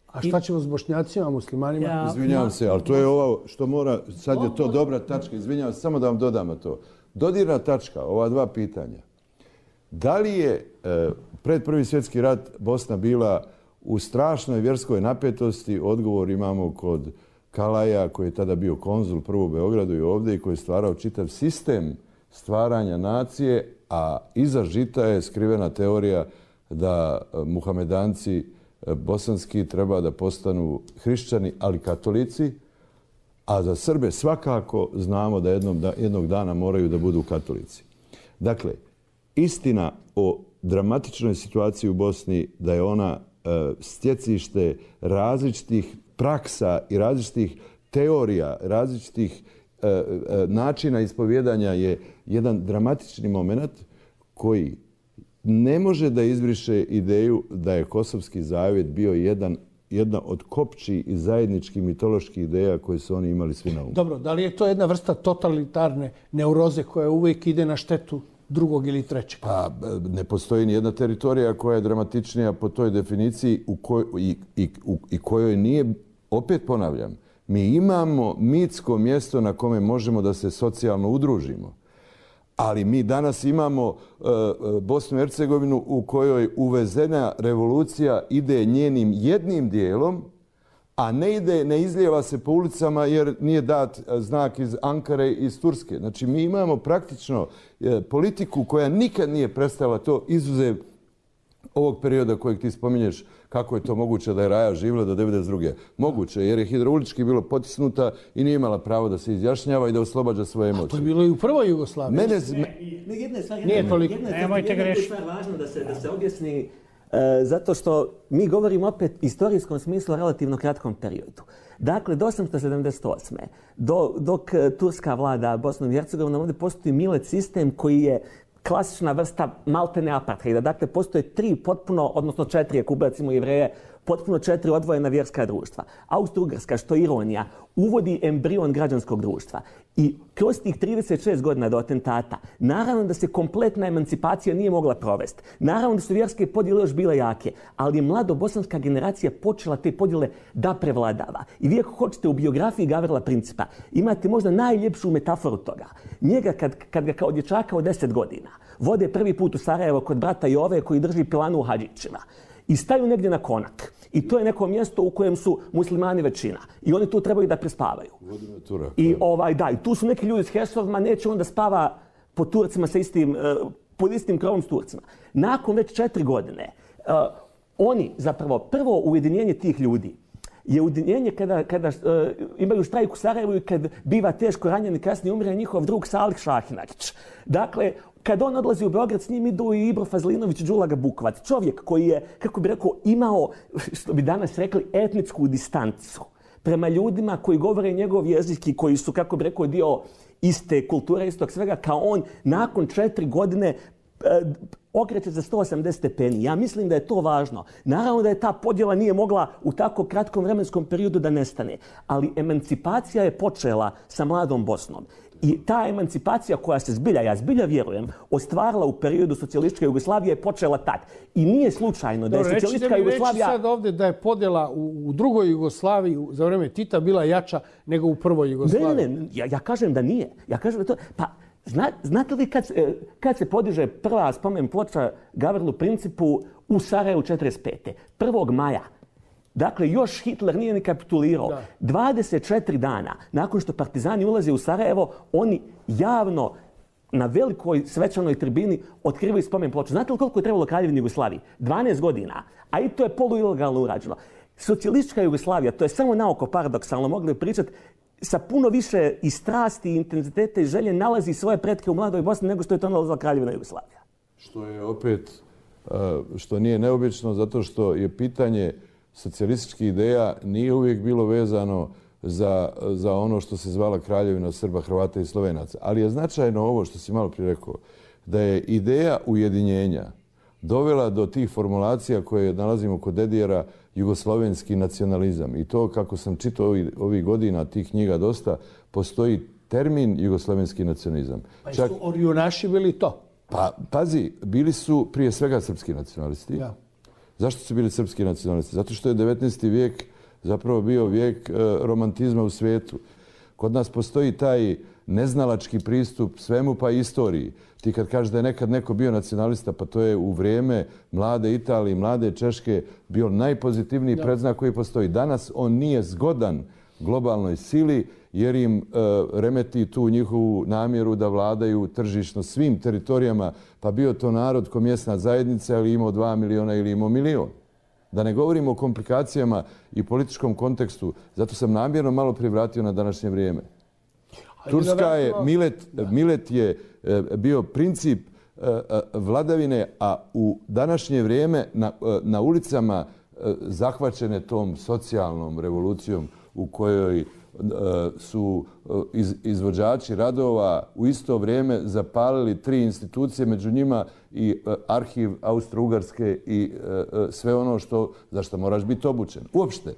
A šta ćemo s Bošnjacima, muslimanima? Izvinjavam se, ali to je ovo što mora, sad je to dobra tačka, izvinjavam se, samo da vam dodam na to. Dodirna tačka, ova dva pitanja. Da li je pred Prvi svjetski rat Bosna bila u strašnoj vjerskoj napetosti? Odgovor imamo kod Kalaja, koji je tada bio konzul prvo u Beogradu i ovdje i koji je stvarao čitav sistem stvaranja nacije, a iza žita je skrivena teorija da muhamedanci bosanski treba da postanu hrišćani, ali katolici, a za Srbe svakako znamo da jednog dana moraju da budu katolici. Dakle, istina o dramatičnoj situaciji u Bosni, da je ona stjecište različitih praksa i različitih teorija, različitih načina ispovjedanja, je jedan dramatični moment koji ne može da izbriše ideju da je Kosovski zavjet bio jedna od kopči i zajedničkih mitoloških ideja koje su oni imali svi na umu. Dobro, da li je to jedna vrsta totalitarne neuroze koja uvijek ide na štetu drugog ili trećeg? Pa ne postoji ni jedna teritorija koja je dramatičnija po toj definiciji i kojoj nije, opet ponavljam, mi imamo mitsko mjesto na kome možemo da se socijalno udružimo. Ali mi danas imamo Bosnu i Hercegovinu u kojoj uvezena revolucija ide njenim jednim dijelom, a ne izlijeva se po ulicama jer nije dat znak iz Ankare i iz Turske. Znači, mi imamo praktično politiku koja nikad nije prestala to, izuzev ovog perioda kojeg ti spominješ, kako je to moguće da je Raja živjela do 92. Moguće, jer je hidraulički bilo potisnuta i nije imala pravo da se izjašnjava i da oslobađa svoje emocije. A to je bilo i u prvoj Jugoslaviji. Nije toliko. Nemojte grešiti. Jedna je važno da se objasni, zato što mi govorimo opet u istorijskom smislu o relativno kratkom periodu. Dakle, do 1878. Dok Turska vlada Bosnom i Hercegovinom, ovdje postoji milet sistem koji je klasična vrsta maltene apartheida. Dakle, postoje 3 potpuno, odnosno 4, ako ubacimo Jevreje, potpuno 4 odvojena vjerska društva. Austro-Ugarska, što je ironija, uvodi embrion građanskog društva. I kroz tih 36 godina do atentata, naravno da se kompletna emancipacija nije mogla provesti. Naravno da su vjerske podjele još bile jake, ali je mladobosanska generacija počela te podjele da prevladava. I vi ako hoćete u biografiji Gavrila Principa, imate možda najljepšu metaforu toga. Njega kad ga kao dječaka od 10 godina vode prvi put u Sarajevo kod brata Jove koji drži pilanu u Hadžićima i staju negdje na konak. I to je neko mjesto u kojem su muslimani većina. I oni tu trebaju da prespavaju. I tu su neki ljudi s Hesovima, neće on da spava pod Turcima pod istim krovom s Turcima. Nakon već 4 godine, oni zapravo, prvo ujedinjenje tih ljudi je ujedinjenje kada imaju štrajk u Sarajevu i kad biva teško ranjen i kasnije umre njihov drug Salih Šahinagić. Dakle, kad on odlazi u Beograd, s njim idu i Ibro Fazlinović, Đulaga Bukovac. Čovjek koji je, kako bi rekao, imao, što bi danas rekli, etničku distancu prema ljudima koji govore njegov jezik i koji su, kako bi rekao, dio iste kulture, istog svega, kao on nakon 4 godine okreće za 180 stepeni. Ja mislim da je to važno. Naravno da je ta podjela nije mogla u tako kratkom vremenskom periodu da nestane, ali emancipacija je počela sa mladom Bosnom. I ta emancipacija koja se ja zbilja vjerujem, ostvarila u periodu socijalističke Jugoslavije je počela tad. I nije slučajno da je socijalistička Jugoslavija... Reći sad ovdje da je podjela u drugoj Jugoslaviji za vrijeme Tita bila jača nego u prvoj Jugoslaviji. Ne, ja kažem da nije. Ja kažem da to... Pa, Znate li kad se podiže prva spomen ploča Gavrilu Principu u Sarajevu 45. 1. maja? Dakle, još Hitler nije ni kapitulirao. 24 dana nakon što partizani ulaze u Sarajevo, oni javno na velikoj svečanoj tribini otkrivaju spomen ploču. Znate li koliko je trebalo Kraljevini Jugoslaviji? 12 godina. A i to je poluilegalno urađeno. Socijalistička Jugoslavija, to je samo naoko paradoksalno, mogli pričati, sa puno više i strasti, i intenziteta i želje nalazi svoje pretke u mladoj Bosni nego što je to nalazila Kraljevina Jugoslavija. Što je opet, što nije neobično, zato što je pitanje socijalističkih ideja nije uvijek bilo vezano za ono što se zvala Kraljevina Srba, Hrvata i Slovenaca. Ali je značajno ovo što si malo prije rekao, da je ideja ujedinjenja dovela do tih formulacija koje nalazimo kod Dedijera, jugoslovenski nacionalizam. I to, kako sam čitao ovih godina, tih knjiga dosta, postoji termin jugoslovenski nacionalizam. Pa su orijunaši bili to? Pa, pazi, bili su prije svega srpski nacionalisti. Ja. Zašto su bili srpski nacionalisti? Zato što je 19. vijek zapravo bio vijek romantizma u svijetu. Kod nas postoji taj neznalački pristup svemu pa i istoriji. Ti kad kažeš da je nekad neko bio nacionalista, pa to je u vrijeme mlade Italije, mlade Češke bio najpozitivniji predznak koji postoji. Danas on nije zgodan globalnoj sili jer im remeti tu njihovu namjeru da vladaju tržišno svim teritorijama, pa bio to narod ko mjesna zajednica ili imao 2 miliona ili imao milion. Da ne govorimo o komplikacijama i političkom kontekstu, zato sam namjerno malo privratio na današnje vrijeme. Turska je, Milet je bio princip vladavine, a u današnje vrijeme na ulicama zahvaćene tom socijalnom revolucijom u kojoj su izvođači radova u isto vrijeme zapalili 3 institucije, među njima i arhiv Austro-Ugarske i sve ono za što moraš biti obučen. Uopšte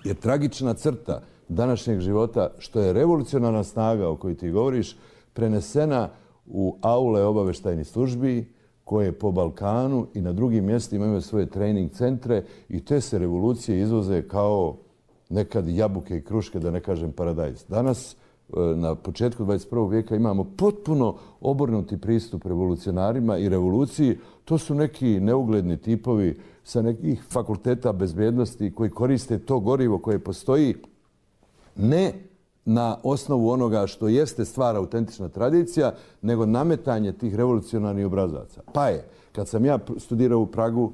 je tragična crta današnjeg života što je revolucionarna snaga o kojoj ti govoriš prenesena u aule obavještajnih službi koje po Balkanu i na drugim mjestima imaju svoje trening centre i te se revolucije izvoze kao nekad jabuke i kruške, da ne kažem paradajz. Danas, na početku 21. vijeka, imamo potpuno obrnuti pristup revolucionarima i revoluciji. To su neki neugledni tipovi sa nekih fakulteta bezbjednosti koji koriste to gorivo koje postoji ne na osnovu onoga što jeste stvar autentična tradicija, nego nametanje tih revolucionarnih obrazaca. Pa je, kad sam ja studirao u Pragu,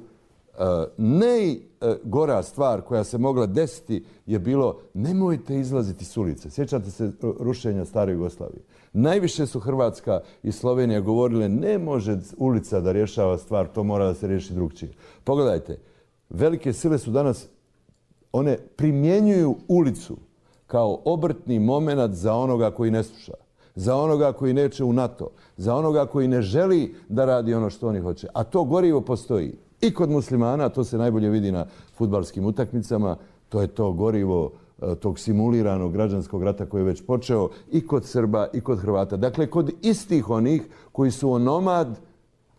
najgora stvar koja se mogla desiti je bilo nemojte izlaziti s ulice. Sjećate se rušenja stare Jugoslavije. Najviše su Hrvatska i Slovenija govorile ne može ulica da rješava stvar, to mora da se riješi drugčije. Pogledajte, velike sile su danas, one primjenjuju ulicu kao obrtni moment za onoga koji ne sluša, za onoga koji neće u NATO, za onoga koji ne želi da radi ono što oni hoće. A to gorivo postoji i kod muslimana, to se najbolje vidi na fudbalskim utakmicama, to je to gorivo tog simuliranog građanskog rata koji je već počeo i kod Srba i kod Hrvata. Dakle, kod istih onih koji su onomad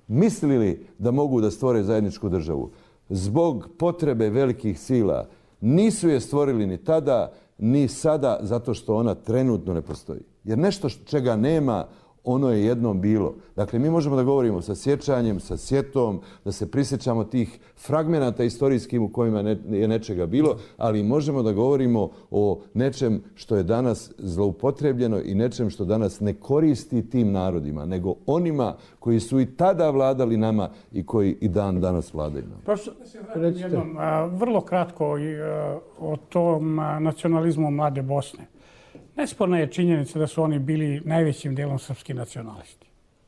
mislili da mogu da stvore zajedničku državu. Zbog potrebe velikih sila nisu je stvorili ni tada, ni sada, zato što ona trenutno ne postoji. Jer nešto čega nema, ono je jednom bilo. Dakle, mi možemo da govorimo sa sjećanjem, sa sjetom, da se prisjećamo tih fragmenata istorijskim u kojima je nečega bilo, ali možemo da govorimo o nečem što je danas zloupotrebljeno i nečem što danas ne koristi tim narodima, nego onima koji su i tada vladali nama i koji i dan danas vladaju nama. Prošlo se jednom vrlo kratko o tom nacionalizmu mlade Bosne. Nesporna je činjenica da su oni bili najvećim delom srpski nacionalisti.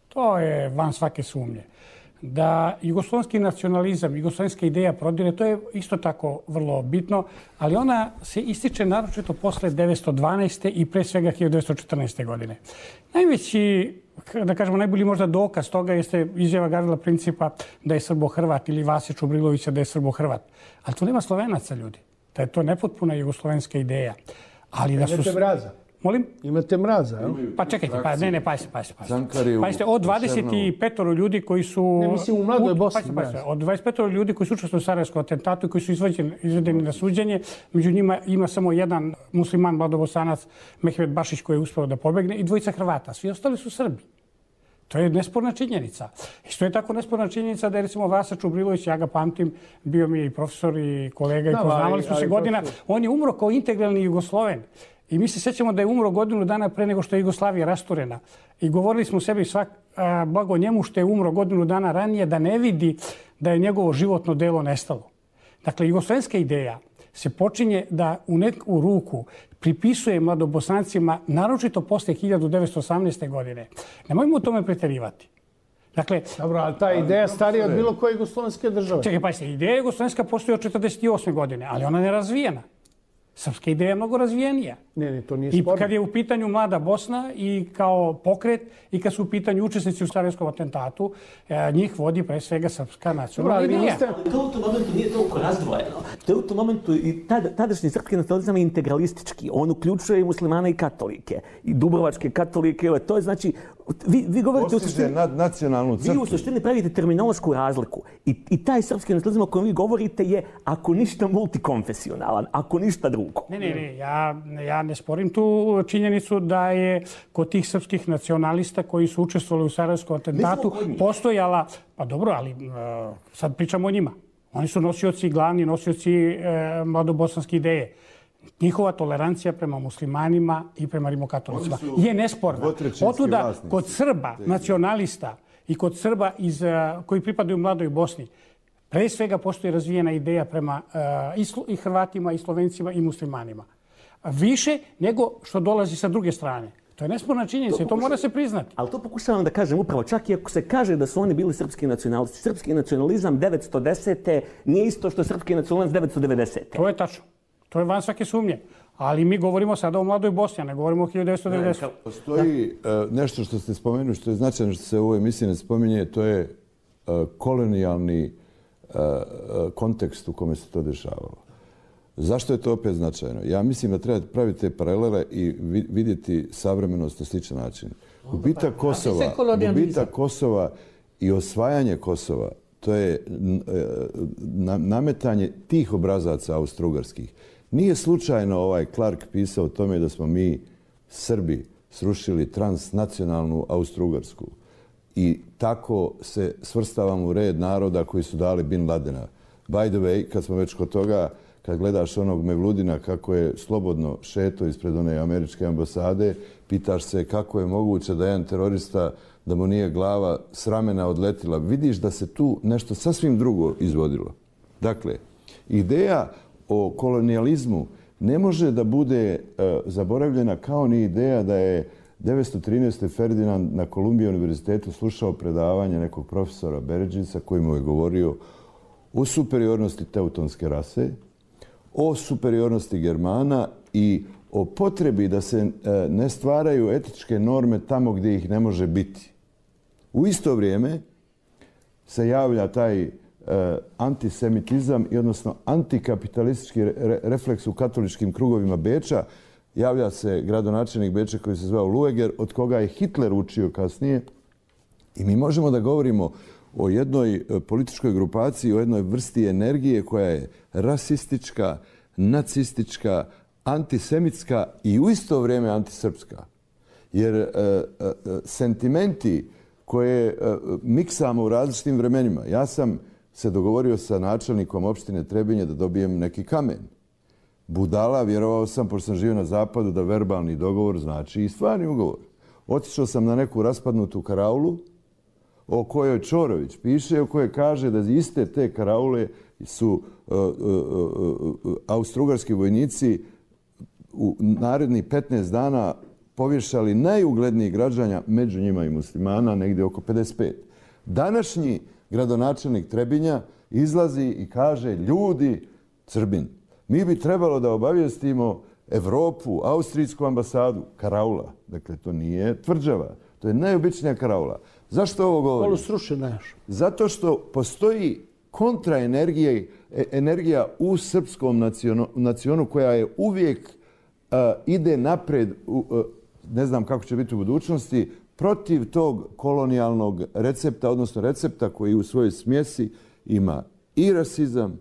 To je van svake sumnje. Da jugoslovenski nacionalizam, jugoslovenska ideja prodire, to je isto tako vrlo bitno, ali ona se ističe naročito posle 1912. i pre svega 1914. godine. Najveći, da kažemo, najbolji možda dokaz toga jeste izjava Gavrila Principa da je Srbo-Hrvat ili Vase Čubrilovića da je Srbo-Hrvat. Ali tu nema Slovenaca, ljudi. Da je to nepotpuna jugoslovenska ideja. Ali da su... Molim? Imate mraza, jel? Pa čekajte, pazite. Cankari u Pazite, od 25 ljudi koji su... Ne, mislim u Mladoj Bosni. Pazite, od 25 ljudi koji su učestvovali u Sarajevskom atentatu i koji su izvedeni na suđenje, među njima ima samo jedan musliman, mladobosanac, Mehmet Bašić, koji je uspeo da pobegne, i 2 Hrvata. Svi ostali su Srbi. To je nesporna činjenica. Isto je tako nesporna činjenica da je, recimo, Vasa Čubrilović, ja ga pamtim, bio mi je i profesor i kolega i poznavali smo se godina. On je umro kao integralni Jugosloven. I mi se sjećamo da je umro godinu dana pre nego što je Jugoslavija rasturena. I govorili smo sebi blago njemu što je umro godinu dana ranije da ne vidi da je njegovo životno delo nestalo. Dakle, jugoslovenska ideja se počinje da u neku ruku pripisuje mladobosancima, naročito posle 1918. godine. Nemojmo u tome preterivati. Dakle, dobro, ali ta ideja starija od bilo koje jugoslovenske države. Čekaj, pazite, ideja jugoslovenska postoji od 1948. godine, ali ona ne razvijena. Srpska ideja je mnogo razvijenija. Ne, to nije sporno. I kad je u pitanju Mlada Bosna i kao pokret i kad su u pitanju učesnici u Sarajevskom atentatu, njih vodi pre svega srpska nacionalna ideja. To u tom momentu nije toliko razdvojeno. To je u tom momentu i tadašnji srpski nacionalizam je integralistički. On uključuje i muslimane i katolike. I dubrovačke katolike. To je znači... Vi govorite u suštini... nacionalnu crkvu. Vi u suštini pravite terminološku razliku. I taj srpski nacionalizam o kojem vi govorite je, ako ništa, multikonfesionalan. Ako ništa drugo. Ne. Ja ne sporim tu činjenicu da je kod tih srpskih nacionalista koji su učestvovali u Sarajevskom atentatu postojala... Pa dobro, ali sad pričamo o njima. Oni su glavni nosioci mladobosanske ideje. Njihova tolerancija prema muslimanima i prema rimokatolicima je nesporna. Otuda kod Srba, nacionalista i kod Srba koji pripadaju Mladoj Bosni, pre svega postoji razvijena ideja prema i Hrvatima, i Slovencima, i muslimanima. Više nego što dolazi sa druge strane. To je nesporna činjenica i to mora se priznati. Ali to pokušavam da kažem upravo, čak i ako se kaže da su oni bili srpski nacionalisti. Srpski nacionalizam 910. nije isto što srpski nacionalizam 990. To je tačno. To je van svake sumnje. Ali mi govorimo sada o Mladoj Bosni, a ne govorimo o 1990. Postoji nešto što ste spomenuli, što je značajno što se u ovoj emisiji ne spominje, to je kolonijalni kontekst u kome se to dešavalo. Zašto je to opet značajno? Ja mislim da treba praviti te paralele i vidjeti savremenost na sličan način. Gubitak Kosova i osvajanje Kosova, to je nametanje tih obrazaca austrougarskih. Nije slučajno ovaj Clark pisao o tome da smo mi, Srbi, srušili transnacionalnu Austrougarsku i tako se svrstavamo u red naroda koji su dali Bin Ladena. By the way, kad smo već kod toga, kad gledaš onog Mevludina kako je slobodno šeto ispred one američke ambasade, pitaš se kako je moguće da jedan terorista, da mu nije glava s ramena odletila. Vidiš da se tu nešto sasvim drugo izvodilo. Dakle, ideja o kolonijalizmu ne može da bude zaboravljena kao ni ideja da je 1913. Ferdinand na Columbia univerzitetu slušao predavanje nekog profesora Beređica koji mu je govorio o superiornosti teutonske rase, o superiornosti Germana i o potrebi da se ne stvaraju etičke norme tamo gdje ih ne može biti. U isto vrijeme se javlja taj antisemitizam i odnosno antikapitalistički refleks u katoličkim krugovima Beča. Javlja se gradonačelnik Beča koji se zvao Lueger, od koga je Hitler učio kasnije. I mi možemo da govorimo o jednoj političkoj grupaciji, o jednoj vrsti energije koja je rasistička, nacistička, antisemitska i u isto vrijeme antisrpska. Jer sentimenti koje miksamo u različitim vremenima. Ja sam se dogovorio sa načelnikom opštine Trebinje da dobijem neki kamen. Budala, vjerovao sam, pošto sam živio na zapadu, da verbalni dogovor znači i stvarni ugovor. Otišao sam na neku raspadnutu karaulu o kojoj Čorović piše, o kojoj kaže da iste te karaule su austrougarski vojnici u narednih 15 dana povješali najuglednijih građana, među njima i muslimana, negdje oko 55. Današnji gradonačelnik Trebinja izlazi i kaže: ljudi, Srbin, mi bi trebalo da obavijestimo Evropu, austrijsku ambasadu, karaula. Dakle, to nije tvrđava, to je najobičnija karaula. Zašto ovo govorim? Polusrušena još. Zato što postoji kontraenergija u srpskom nacionu koja je uvijek ide napred, ne znam kako će biti u budućnosti, protiv tog kolonijalnog recepta, odnosno recepta koji u svojoj smjesi ima i rasizam,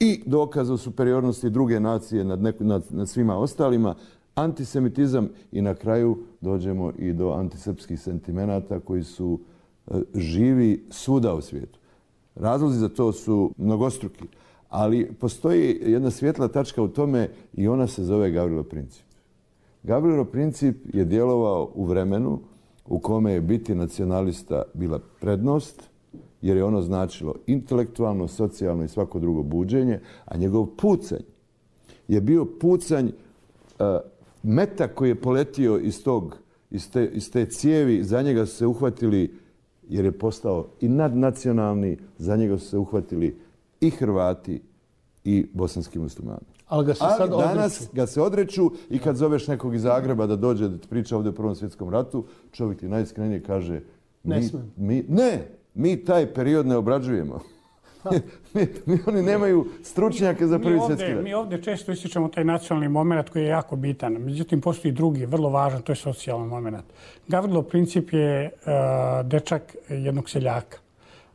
i dokaz o superiornosti druge nacije nad svima ostalima, antisemitizam i na kraju dođemo i do antisrpskih sentimenata koji su živi svuda u svijetu. Razlozi za to su mnogostruki, ali postoji jedna svjetla tačka u tome i ona se zove Gavrilo Princip. Gavrilo Princip je djelovao u vremenu u kome je biti nacionalista bila prednost, jer je ono značilo intelektualno, socijalno i svako drugo buđenje, a njegov pucanj je bio pucanj meta koji je poletio iz te cijevi, za njega su se uhvatili, jer je postao i nadnacionalni, za njega su se uhvatili i Hrvati i bosanski muslimani. Ali danas ga se odreću i kad zoveš nekog iz Zagreba da dođe da ti priča ovdje o Prvom svjetskom ratu, čovjek ti najiskrenije kaže mi taj period ne obrađujemo. Oni nemaju stručnjake za Prvi svjetski rat. Mi ovdje često ističemo taj nacionalni moment koji je jako bitan. Međutim, postoji drugi, vrlo važan, to je socijalni moment. Gavrilo Princip je dečak jednog seljaka.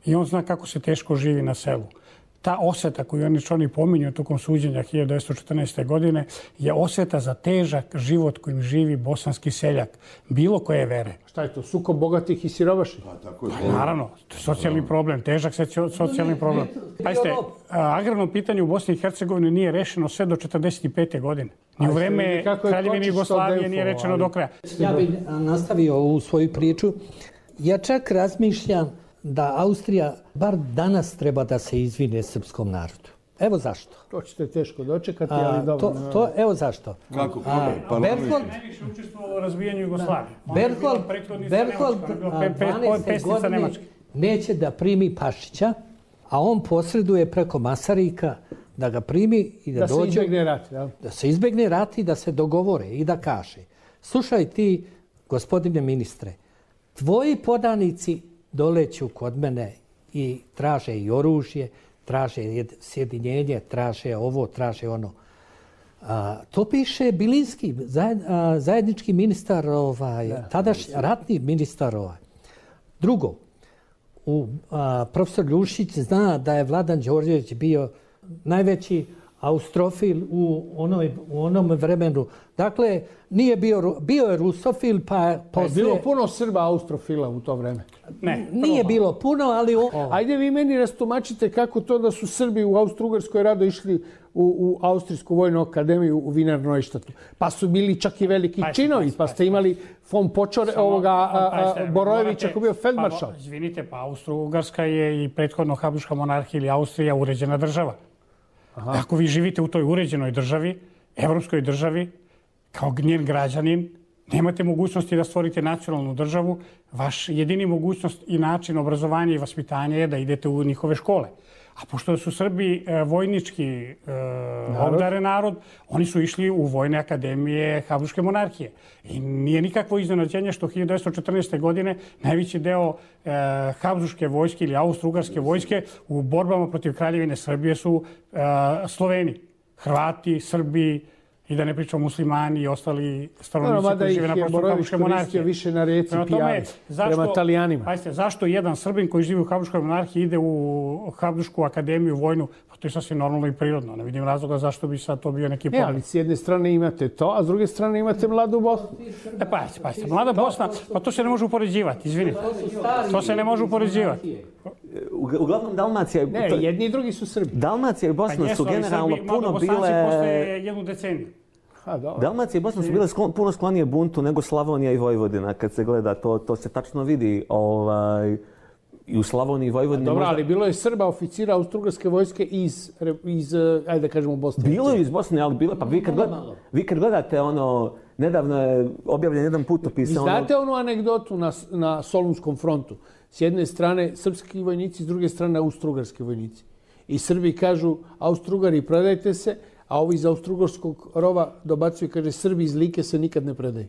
I on zna kako se teško živi na selu. Ta osveta koju oni pominju tokom suđenja 1914. godine je osveta za težak život kojim živi bosanski seljak, bilo koje vere. Šta je to? Sukob bogatih i siromašnih? Naravno, to je socijalni problem, težak socijalni problem. Pazite, agrarno pitanje u Bosni i Hercegovini nije rešeno sve do 1945. godine. Ni u vreme Kraljevine Jugoslavije nije rečeno do kraja. Ja bih nastavio ovu svoju priču. Ja čak razmišljam da Austrija bar danas treba da se izvine srpskom narodu. Evo zašto. To ćete teško dočekati, ali dobro. Evo zašto. Kako? Berthold najviše učestvovao u razbijanju Jugoslavije. Berthold 12. godine neće da primi Pašića, a on posreduje preko Masarika da ga primi i da dođe... Da se izbegne rat, jel? Da se izbegne rat i da se dogovore i da kaže: slušaj ti, gospodine ministre, tvoji podanici doleću kod mene i traže i oružje, traže sjedinjenje, traže ovo, traže ono. To piše Bilinski, zajednički ministar, tadašnji ratni ministar. Drugo, profesor Ljušić zna da je Vladan Đorđević bio najveći austrofil u onom vremenu. Dakle, bio je rusofil, pa poslije... Bilo puno Srba austrofila u to vreme? Ne. Nije bilo puno, ali... Ajde vi meni rastumačite kako to da su Srbi u Austro-Ugarskoj rado išli u Austrijsku vojnu akademiju u Wiener Neustadtu. Pa su bili čak i veliki činovi, pa ste imali von Počor, Borojevića koji je bio feldmaršal. Izvinite, pa Austro-Ugarska je i prethodno Habsburška monarhija ili Austrija uređena država. Ako vi živite u toj uređenoj državi, evropskoj državi, kao njen građanin, nemate mogućnosti da stvorite nacionalnu državu, vaš jedini mogućnost i način obrazovanja i vaspitanja je da idete u njihove škole. A pošto su Srbi vojnički obdaren narod, oni su išli u vojne akademije Habsburške monarhije. I nije nikakvo iznenađenje što 1914. godine najveći deo Habsburške vojske ili Austro-Ugarske vojske u borbama protiv Kraljevine Srbije su Sloveni, Hrvati, Srbi, i da ne pričamo muslimani i ostali stanovnici koji žive na prostoru Habsburške monarhije. Više na reci Pijavi, prema Italijanima. Pazite, zašto jedan Srbin koji živi u Habsburškoj monarhiji ide u Habsbursku akademiju vojnu? Pa to je sasvim normalno i prirodno. Ne vidim razloga zašto bi sad to bio neki problem. Ali s jedne strane imate to, a s druge strane imate mladu Bosnu. Pazite, mlada Bosna, pa to se ne može upoređivati, izvinite. To se ne može upoređivati. Uglavnom Dalmacija... Ne, jedni i drugi su Srbi. Dalmacija i Bosna su generalno puno bile... Posle jednu deceniju. Dalmacija i Bosna su bile puno sklonije buntu nego Slavonija i Vojvodina. Kad se gleda, to se tačno vidi i u Slavoniji i Vojvodini. Dobro, ali bilo je Srba oficira Austro-Ugarske vojske iz, ajde da kažemo, Bosne. Bilo je iz Bosne, ali bilo je, pa vi kad gledate nedavno je objavljen jedan putopis. Vi znate onu anegdotu na Solunskom frontu? S jedne strane srpski vojnici, s druge strane Austro-Ugarski vojnici. I Srbi kažu, Austro-Ugari, predajte se, a ovi iz Austro-Ugarskog rova dobacuju i kaže, Srbi iz Like se nikad ne predaju.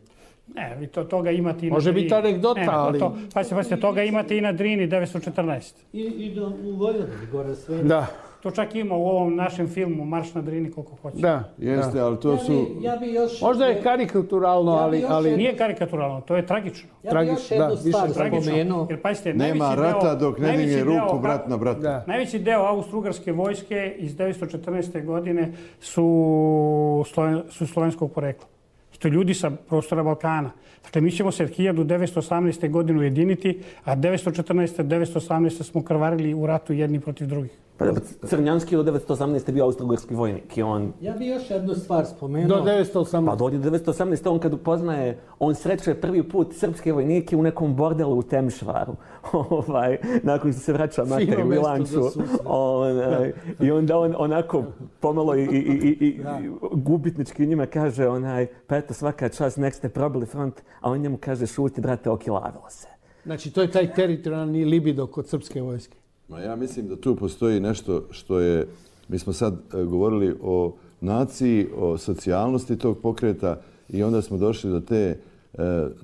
Ne, vi toga imate i na Može Drini. biti anegdota, ali... Pazite, toga imate i na Drini 914. I u Vojvodini, gore sve. Da. To čak ima u ovom našem filmu Marš na Drini koliko hoće. Da. Jeste, ali to su... Ja bi još... Možda je karikaturalno, ali... Nije karikaturalno, to je tragično. Ja bi još jednu stvar spomenuo. Jer pazite, Nema rata dok ne digne ruku brat na brata. Najveći deo Austro-Ugarske vojske iz 914. godine su slovenskog porekla. To je ljudi sa prostora Balkana. Dakle, mi ćemo se 1918. godine ujediniti, a 1914. smo krvarili u ratu jedni protiv drugih. Crnjanski do 1918. je bio austro-ugarski vojnik i on... Ja bi još jednu stvar spomenuo. Do 1918. Pa dođe 1918. on kad upoznaje, on sreće prvi put srpske vojnike u nekom bordelu u Temišvaru. Nakon što se vraća Matej u Ilancu. I onda on onako pomalo i gubitnički njima kaže pa eto svaka čast, nek ste probili front, a on njemu kaže šuti brate, okilavilo se. Znači, to je taj teritorijalni libido kod srpske vojske. Ja mislim da tu postoji nešto što je... Mi smo sad govorili o naciji, o socijalnosti tog pokreta i onda smo došli do te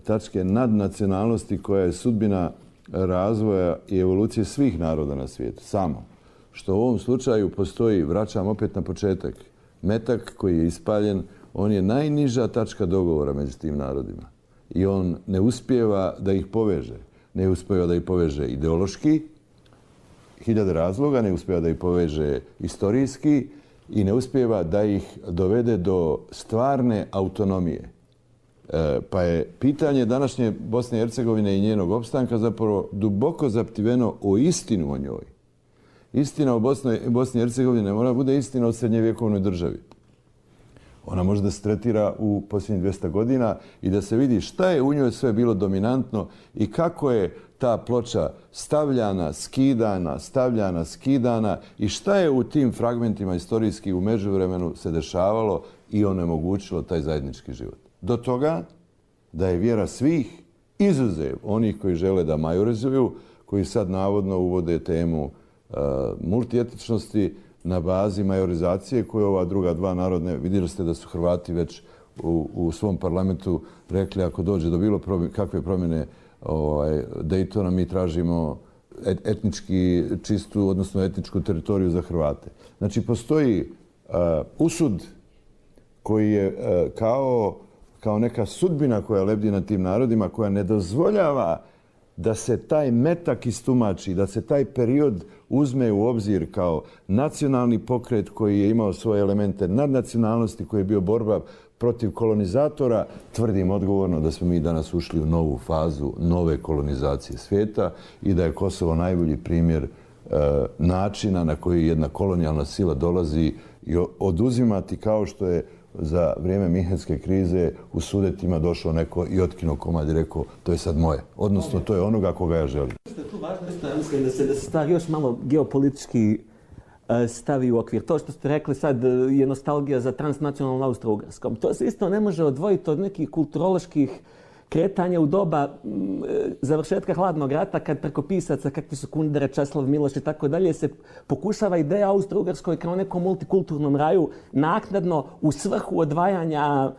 tačke nadnacionalnosti koja je sudbina razvoja i evolucije svih naroda na svijetu. Samo što u ovom slučaju postoji, vraćam opet na početak, metak koji je ispaljen, on je najniža tačka dogovora među tim narodima. I on ne uspijeva da ih poveže. Ne uspijeva da ih poveže ideološki, hiljade razloga, ne uspijeva da ih poveže istorijski i ne uspijeva da ih dovede do stvarne autonomije. Pa je pitanje današnje Bosne i Hercegovine i njenog opstanka zapravo duboko zaptiveno o istinu o njoj. Istina o Bosni i Hercegovini ne mora bude istina o srednjevjekovnoj državi. Ona može da se tretira u posljednjih 200 godina i da se vidi šta je u njoj sve bilo dominantno i kako je ta ploča stavljana, skidana i šta je u tim fragmentima istorijski u međuvremenu se dešavalo i onemogućilo taj zajednički život. Do toga da je vjera svih, izuzev onih koji žele da majorizuju, koji sad navodno uvode temu multietičnosti na bazi majorizacije koje ova druga dva narodne, vidjeli ste da su Hrvati već u svom parlamentu rekli ako dođe do bilo kakve promjene Daytona, mi tražimo etnički čistu, odnosno etničku teritoriju za Hrvate. Znači, postoji usud koji je kao neka sudbina koja lebdi na tim narodima, koja ne dozvoljava da se taj metak istumači, da se taj period uzme u obzir kao nacionalni pokret koji je imao svoje elemente nadnacionalnosti, koji je bio borba protiv kolonizatora. Tvrdim odgovorno da smo mi danas ušli u novu fazu nove kolonizacije svijeta i da je Kosovo najbolji primjer načina na koji jedna kolonijalna sila dolazi i oduzimati, kao što je za vrijeme Minhenske krize u Sudetima došao neko i otkinuo komad i rekao to je sad moje. Odnosno, to je onoga koga ja želim. Što je tu važno, ja mislim da se stvari još malo geopolitički stavi u okvir. To što ste rekli sad je nostalgija za transnacionalnom Austro-Ugarskom. To se isto ne može odvojiti od nekih kulturoloških kretanja u doba završetka hladnog rata, kad preko pisaca kakvi su Kundera, Česlav Miloš i tako dalje se pokušava ideja Austro-Ugarskoj kao nekom multikulturnom raju naknadno u svrhu odvajanja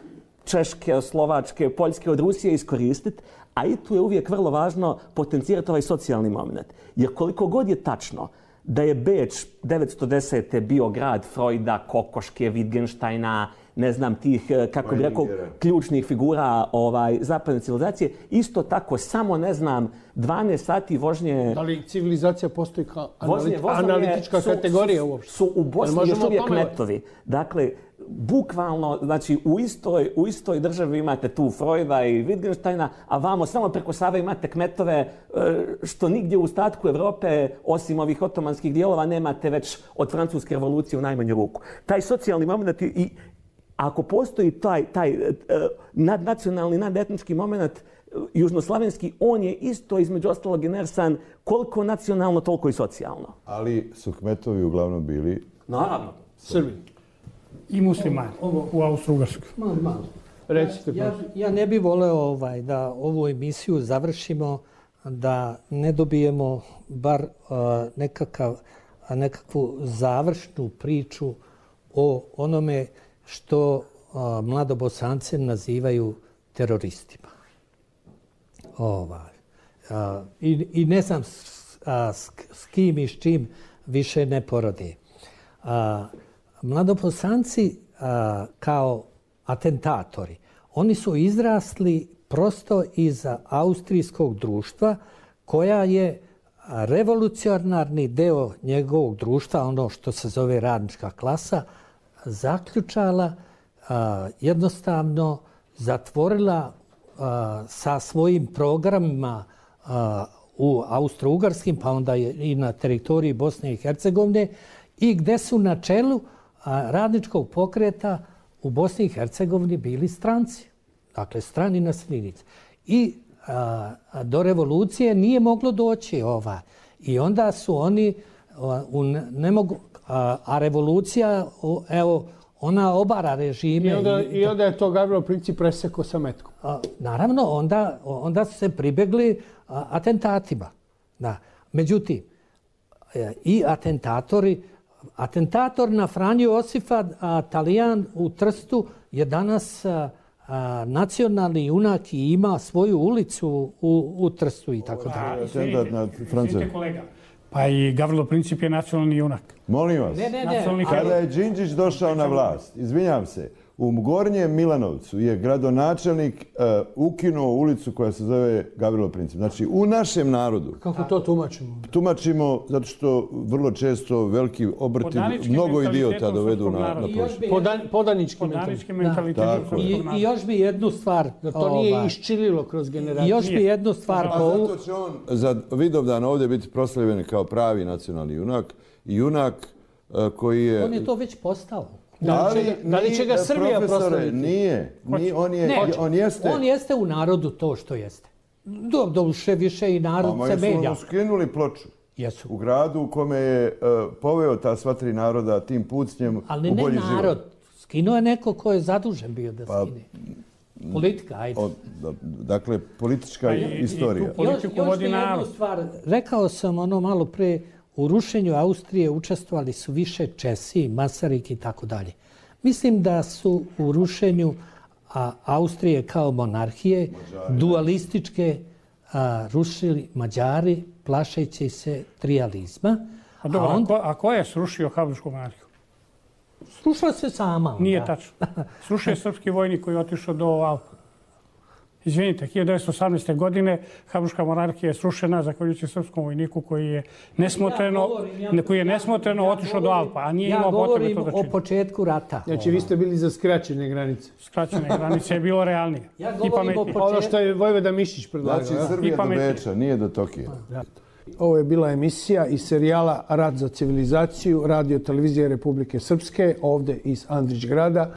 Češke, Slovačke, Poljske od Rusije iskoristiti, a i tu je uvijek vrlo važno potencirati ovaj socijalni moment. Jer koliko god je tačno da je Beč 910. bio grad Freuda, Kokoške, Wittgensteina, ne znam tih, kako bih rekao, ključnih figura zapadne civilizacije. Isto tako, samo, ne znam, 12 sati vožnje... Da li civilizacija postoji kao analitička kategorija uopšte? Su u Bosni još uvijek kmetovi. Dakle, bukvalno, znači, u istoj državi imate tu Freuda i Wittgensteina, a vamo samo preko Save imate kmetove što nigdje u ostatku Evrope, osim ovih otomanskih dijelova, nemate već od Francuske revolucije u najmanju ruku. Taj socijalni moment i ako postoji taj nadnacionalni, nadetnički moment južnoslavenski, on je isto između ostalog inersan koliko nacionalno, toliko i socijalno. Ali su kmetovi uglavnom bili... Naravno. Srbi. I muslimani u Austro-Ugarskoj. Malo. Recite, ja ne bih voleo da ovu emisiju završimo, da ne dobijemo bar nekakvu završnu priču o onome što mladobosanci nazivaju teroristima. I ne znam s kim i s čim više ne porode. Mladoposanci kao atentatori, oni su izrasli prosto iz austrijskog društva koja je revolucionarni deo njegovog društva, ono što se zove radnička klasa, zaključala, jednostavno zatvorila sa svojim programima u Austro-Ugarskim, pa onda i na teritoriji Bosne i Hercegovine, i gde su na čelu radničkog pokreta u Bosni i Hercegovini bili stranci. Dakle, strani naseljenici. I do revolucije nije moglo doći I onda su oni, a revolucija, evo, ona obara režime. I onda je to Gavrilo Princip presekao sa metkom. Naravno, onda su se pribegli atentatima. Međutim, i atentator na Franju Josifa, Talijan u Trstu, je danas nacionalni junak i ima svoju ulicu u Trstu i tako dalje. Izvinite kolega, pa i Gavrilo Princip je nacionalni junak. Molim vas, kada je Đinđić došao na vlast, izvinjam se, u Gornjem Milanovcu je gradonačelnik ukinuo ulicu koja se zove Gavrilo Princip. Znači, u našem narodu... Kako to tumačimo? Tumačimo zato što vrlo često veliki obrti mnogo idiota dovedu na poštu. Podanički mentalitet. I još bi jednu stvar... Da to nije iščililo kroz generaciju. I još bi jednu stvar... Zato će on za Vidovdan ovdje biti proslavljen kao pravi nacionalni junak i junak koji je... On je to već postao. Da li će ga Srbija proslaviti? Nije. On jeste u narodu to što jeste. Doduše više i narod se menja. Jesu mu skinuli ploču? Jesu. U gradu u kome je poveo ta sva tri naroda tim pucnjem u bolji život. Ali ne narod. Skinuo je neko ko je zadužen bio da skine. Politika, ajde. Dakle, politička istorija. Još bi jednu stvar. Rekao sam malo pre, u rušenju Austrije učestvovali su više Česi, Masaryk i tako dalje. Mislim da su u rušenju Austrije kao monarhije dualističke rušili Mađari, plašeći se trijalizma. A ko je srušio Habsbursku monarhiju? Srušila se sama. Nije tačno. Srušio je srpski vojnik koji je otišao do Alpa. Izvinite, 1918. godine Habsburška monarhija je srušena zahvaljujući srpskom vojniku koji je nesmotreno otišao do Alpa, a nije imao potrebe to da čini. Ja govorim o početku rata. Znači, vi ste bili za skraćene granice. Skraćene granice je bilo realnije. I pametnije. Ono što je Vojvoda Mišić predlagao. Znači, Srbija do Beča, nije do Tokija. Ovo je bila emisija iz serijala Rat za civilizaciju Radio televizije Republike Srpske, ovdje iz Andrićgrada.